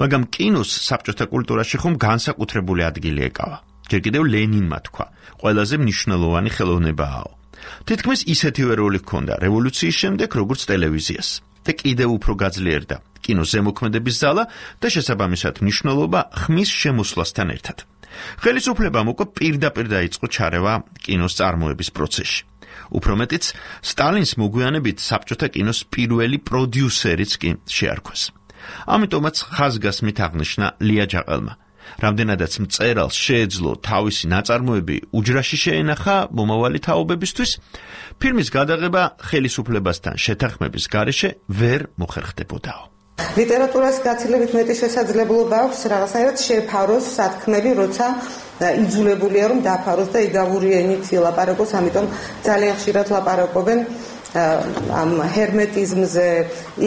მაგრამ კინოს საბჭოთა კულტურაში ხომ განსაკუთრებული ადგილი ეკავა. ჯერ კიდევ ლენინმა თქვა, ყველაზე მნიშვნელოვანი ხელოვნებაა. თითქმის ისეთივე როლი ჰქონდა რევოლუციის შემდეგ, როგორც ტელევიზიას. და კიდევ უფრო გაძლიერდა კინოს ზემოქმედების ზალა და შესაბამისად მნიშვნელობა ხმის შემოსვლასთან ერთად. ხელისუფლებამ უკვე პირდაპირ დაიწყო ჩარევა კინოს წარმოების პროცესში. უფრო მეტიც, სტალინს მოგვიანებით საბჭოთა კინოს პირველი პროდიუსერიც კი შეარქვეს. ამიტომაც ხაზგასმით აღნიშნა ლია ჯაყელმა. რამდენადაც მწერალს შეეძლო თავისი ნაწარმოები უჯრაში შეენახა მომავალი თაობებისთვის, ფილმის გადაღება ხელისუფლებასთან შეთანხმების გარეშე ვერ მოხერხდებოდაო. ლიტერატურას გაცილებით მეტი შესაძლებლობა აქვს რაღაცნაირად შეფაროს სათქმელი, როცა იძულებულია რომ დაფაროს და იგავური ენით ლაპარაკოს, ამიტომ ძალიან ხშირად ლაპარაკობენ ამ ჰერმეტიზმზე,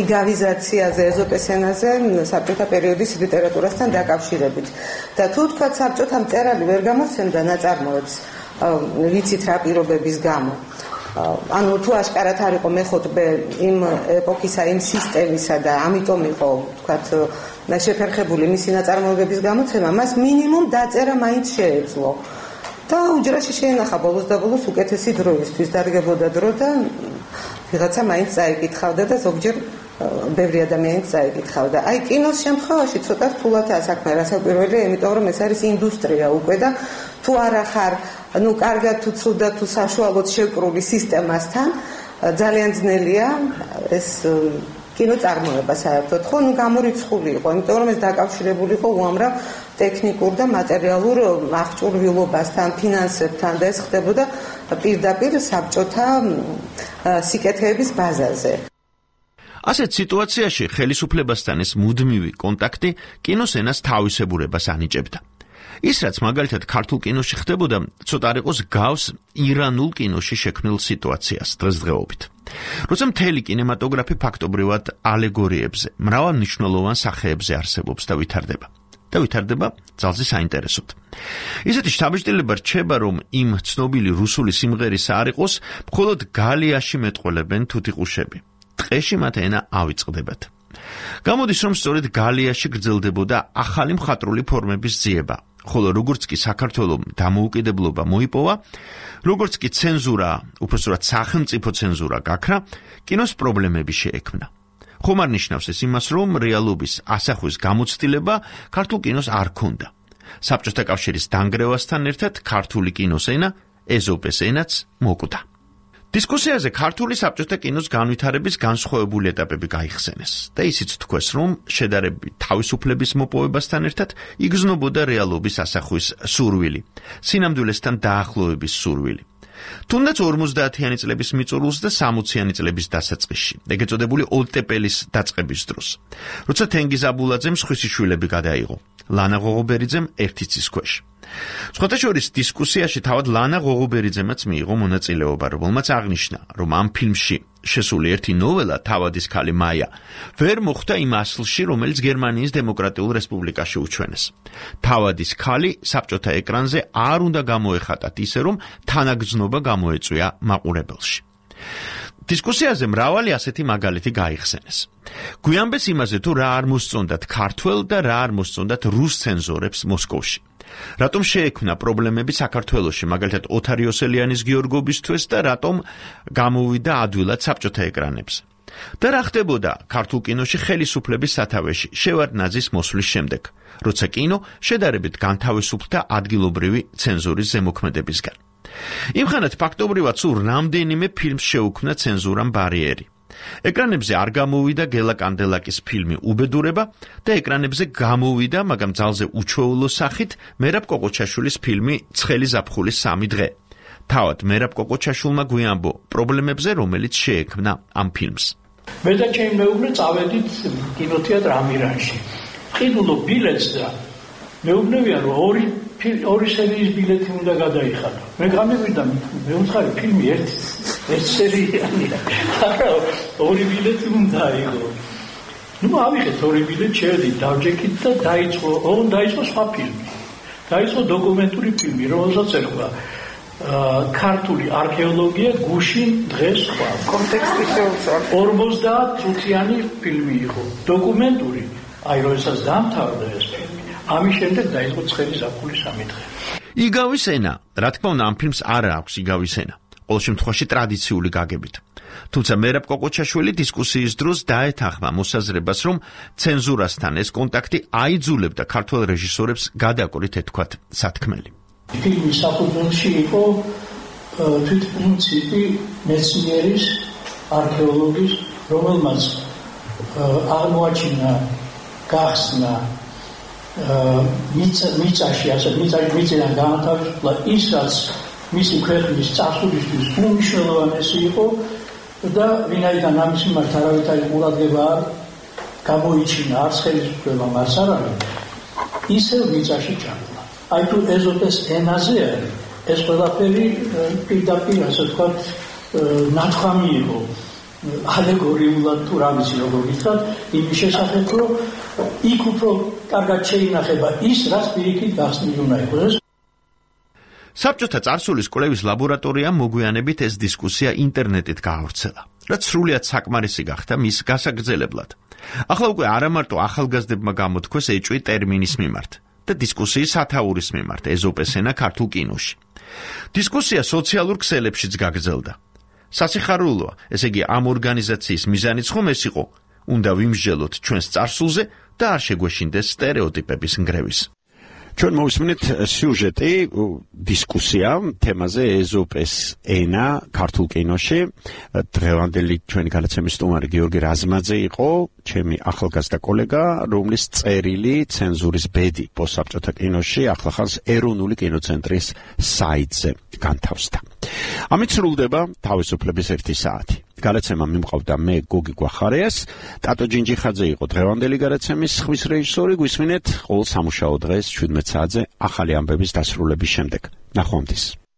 იგავიზაციაზე, ეზოპეს ენაზე საბჭოთა პერიოდის ლიტერატურასთან დაკავშირებით. და თუ თქვა საბჭოთა მწერალი ვერ გამოსცემდა ნაწარმოებს, ვიცით რა პირობების გამო. ანუ თუ აშკარად არ იყო მეხუთბე იმ ეპოქისა, იმ სისტემისა და ამიტომ იყო, ვთქვათ, შეფერხებული მისი ნაწარმოებების გამოცემა, მას მინიმუმ დაწერა მაინც შეეძლო. და უჯრაში შეენახა ბოლოს და ბოლოს უკეთესი დროისთვის, დარგებოდა დრო და ვიღაცა მაინც წაიკითხავდა და ზოგჯერ ბევრი ადამიანი წაიკითხავდა. აი კინოს შემთხვევაში ცოტა რთულადაა საქმე, რასაკვირველია, იმიტომ რომ ეს არის ინდუსტრია უკვე და თუ არა ხარ, ну, კარგად თუ ცუდად თუ საშუალოდ შეკრული სისტემასთან, ძალიან ძნელია ეს კინო წარმოება საერთოდ, ხო, ну, გამორიცხული იყო, იმიტომ რომ ეს დაკავშირებული იყო უამრავ ტექნიკურ და მატერიალურ აღჭურვილობასთან, ფინანსებთან და ეს ხდებოდა პირდაპირ საბჭოთა სიკეთეების ბაზაზე. ასეთ სიტუაციაში ხელისუფლებასთან ეს მუდმივი კონტაქტი კინოს ენას თავისებურებას ანიჭებდა. ის რაც მაგალითად ქართულ კინოში ხდებოდა, ცოტა არ იყოს გავს ირანულ კინოში შექმნილ სიტუაციას დღესდღეობით. როცა მთელი კინემატოგრაფი ფაქტობრივად ალეგორიებზე, მრავალმნიშვნელოვან სახეებზე არსებობს და ვითარდება. და ვითარდება ძალზე საინტერესოდ. ისეთი შთაბეჭდილება რჩება, რომ იმ ცნობილი რუსული სიმღერისა არ იყოს, მხოლოდ გალიაში მეტყველებენ თუთიყუშები. ტყეში მათ ენა ავიწყდებათ. გამოდის, რომ სწორედ გალიაში გრძელდებოდა ახალი მხატვრული ფორმების ძიება, ხოლო როგორც კი საქართველომ დამოუკიდებლობა მოიპოვა, როგორც კი ცენზურა, უпростоრად სახელმწიფო ცენზურა გაქრა, კინოს პრობლემები შეექმნა. ხომ არ ნიშნავს ეს იმას, რომ რეალობის ასახვის გამოცდილება ქართულ კინოს არ ქონდა. საბჭოთა კავშირის დანგრევასთან ერთად ქართული კინოს ენა, ეზოპეს ენაც მოკვდა. დისკუსიაზე ქართული საბჭოთა კინოს განვითარების განსხვავებული ეტაპები გაიხსენეს და ისიც თქვეს, რომ შედარებით თავისუფლების მოპოვებასთან ერთად იგრძნობოდა რეალობის ასახვის სურვილი, სინამდვილესთან დაახლოების სურვილი. თუნდაც ორმოცდაათიანი წლების მიწურულს და სამოციანი წლების დასაწყისში, ეგ ეწოდებული ოლტეპელის დაწყების დროს, როცა თენგიზ აბულაძემ სხვისი შვილები გადაიღო, ლანა ღოღობერიძემ ერთი ცის ქვეშ. სხვათა შორის დისკუსიაში თავად ლანა ღოღობერიძემაც მიიღო მონაწილეობა, რომელმაც აღნიშნა, რომ ამ ფილმში შესული ერთი ნოველა თავადის ქალი მაია ვერ მოხვდა იმ ასლში, რომელიც გერმანიის დემოკრატიულ რესპუბლიკაში უჩვენეს. თავადის ქალი საბჭოთა ეკრანზე არ უნდა გამოეხატათ ისე, რომ თანაგრძნობა გამოეწვია მაყურებელში. დისკუსიაზე მრავალი ასეთი მაგალითი გაიხსენეს. გვიანბეს იმაზე, თუ რა არ მოსწონდათ ქართველ და რა არ მოსწონდათ რუს ცენზორებს მოსკოვში. რატომ შეექმნა პრობლემები საქართველოში, მაგალითად ოთარ იოსელიანის გიორგობისთვის და რატომ გამოვიდა ადვილად საბჭოთა ეკრანებზე. და რა ხდებოდა ქართულ კინოში ხელისუფლების სათავეში შევარდნაძის მოსვლის შემდეგ, როცა კინო შედარებით განთავისუფლდა ადგილობრივი ცენზურის ზემოქმედებისგან. იმხანად ფაქტობრივად სულ რამდენიმე ფილმს შეუქმნა ცენზურამ ბარიერი. ეკრანებზე არ გამოვიდა გელა კანდელაკის ფილმი უბედურება და ეკრანებზე გამოვიდა, მაგრამ ძალზე უჩვეულო სახით მერაბ კოყოჩაშვილის ფილმი ცხელი ზაფხულის სამი დღე. თავად მერაბ კოყოჩაშვილმა გვიანბო პრობლემებზე, რომელიც შეექმნა ამ ფილმს. მე და ჩემი მეუღლე წავედით კინოთეატრ ამირანში. ვყიდულო ბილეთს და მეუბნებიან, რომ ორი ორი სერიის ბილეთი უნდა გადაიხადო. მე გამევიდა, მე უცხარი ფილმი ერთი ერთი სერიალია. არა, ორი ბილეთი უნდა აიღო. ნუ ავიღეთ ორი ბილეთი, შევედით, დავჯექით და დაიწყო, ოღონ დაიწყო სხვა ფილმი. დაიწყო დოკუმენტური ფილმი, რომელსაც ერქვა ქართული არქეოლოგია გუშინ დღეს სხვა. კონტექსტი შეუწევს. ორმოცდაათ წუთიანი ფილმი იყო, დოკუმენტური. აი, როდესაც დამთავრდა ეს ფილმი, ამის შემდეგ დაიწყო ცხელი ზაფხულის სამი დღე. იგავის ენა, რა თქმა უნდა, ამ ფილმს არ აქვს იგავის ენა. ყოველ შემთხვევაში ტრადიციული გაგებით. თუმცა მერაბ კოყოჩაშვილი დისკუსიის დროს დაეთანხმა მოსაზრებას, რომ ცენზურასთან ეს კონტაქტი აიძულებდა ქართველ რეჟისორებს გადაკვრით ეთქვათ სათქმელი. ფილმის საფუძველში იყო თვითპრინციპი მეცნიერის, არქეოლოგის, რომელმაც აღმოაჩინა, გახსნა მიწაში, ასე მიწიდან განათავისუფლა ის, რაც მისი ქვეყნის წარსულისთვის უმნიშვნელოვანესი იყო და ვინაიდან ამის მიმართ არავითარი ყურადღება არ გამოიჩინა, არც ხელისუფლებამ, არც არავინ, ისევ მიწაში ჩაკვდა. აი თუ ეზოპეს ენაზე არის, ეს ყველაფერი პირდაპირ, ასე ვთქვათ, ნათქვამი იყო ალეგორიულად თუ რა ვიცი როგორ გითხრათ, იმის შესახებ, რომ იქ უფრო კარგად შეინახება ის, რაც პირიქით გახსნილი უნდა იყოს. საბჭოთა წარსულის კვლევის ლაბორატორიამ მოგვიანებით ეს დისკუსია ინტერნეტით გაავრცელა, რაც სრულიად საკმარისი გახდა მის გასაგრძელებლად. ახლა უკვე არა მარტო ახალგაზრდებმა გამოთქვეს ეჭვი ტერმინის მიმართ და დისკუსიის სათაურის მიმართ ეზოპეს ენა ქართულ კინოში. დისკუსია სოციალურ ქსელებშიც გაგრძელდა. სასიხარულოა, ესე იგი ამ ორგანიზაციის მიზანიც ხომ ეს იყო, უნდა ვიმსჯელოთ ჩვენს წარსულზე და არ შეგვეშინდეს სტერეოტიპების ნგრევის. ჩვენ მოვისმინეთ სიუჟეტი, დისკუსია თემაზე ეზოპეს ენა ქართულ კინოში. დღევანდელი ჩვენი გადაცემის სტუმარი გიორგი რაზმაძე იყო, ჩემი ახალგაზრდა კოლეგა, რომლის წერილი ცენზურის ბედი პოსტსაბჭოთა კინოში ახლახანს ეროვნული კინოცენტრის საიტზე განთავსდა. ამით სრულდება თავისუფლების ერთი საათი. გადაცემა მიმყავდა მე გოგი გვახარიას, ტატო ჯინჯიხაძე იყო დღევანდელი გადაცემის ხმის რეჟისორი. გვისმინეთ ყოველ სამუშაო დღეს შვიდმეტ საათზე ახალი ამბების დასრულების შემდეგ. ნახვამდის.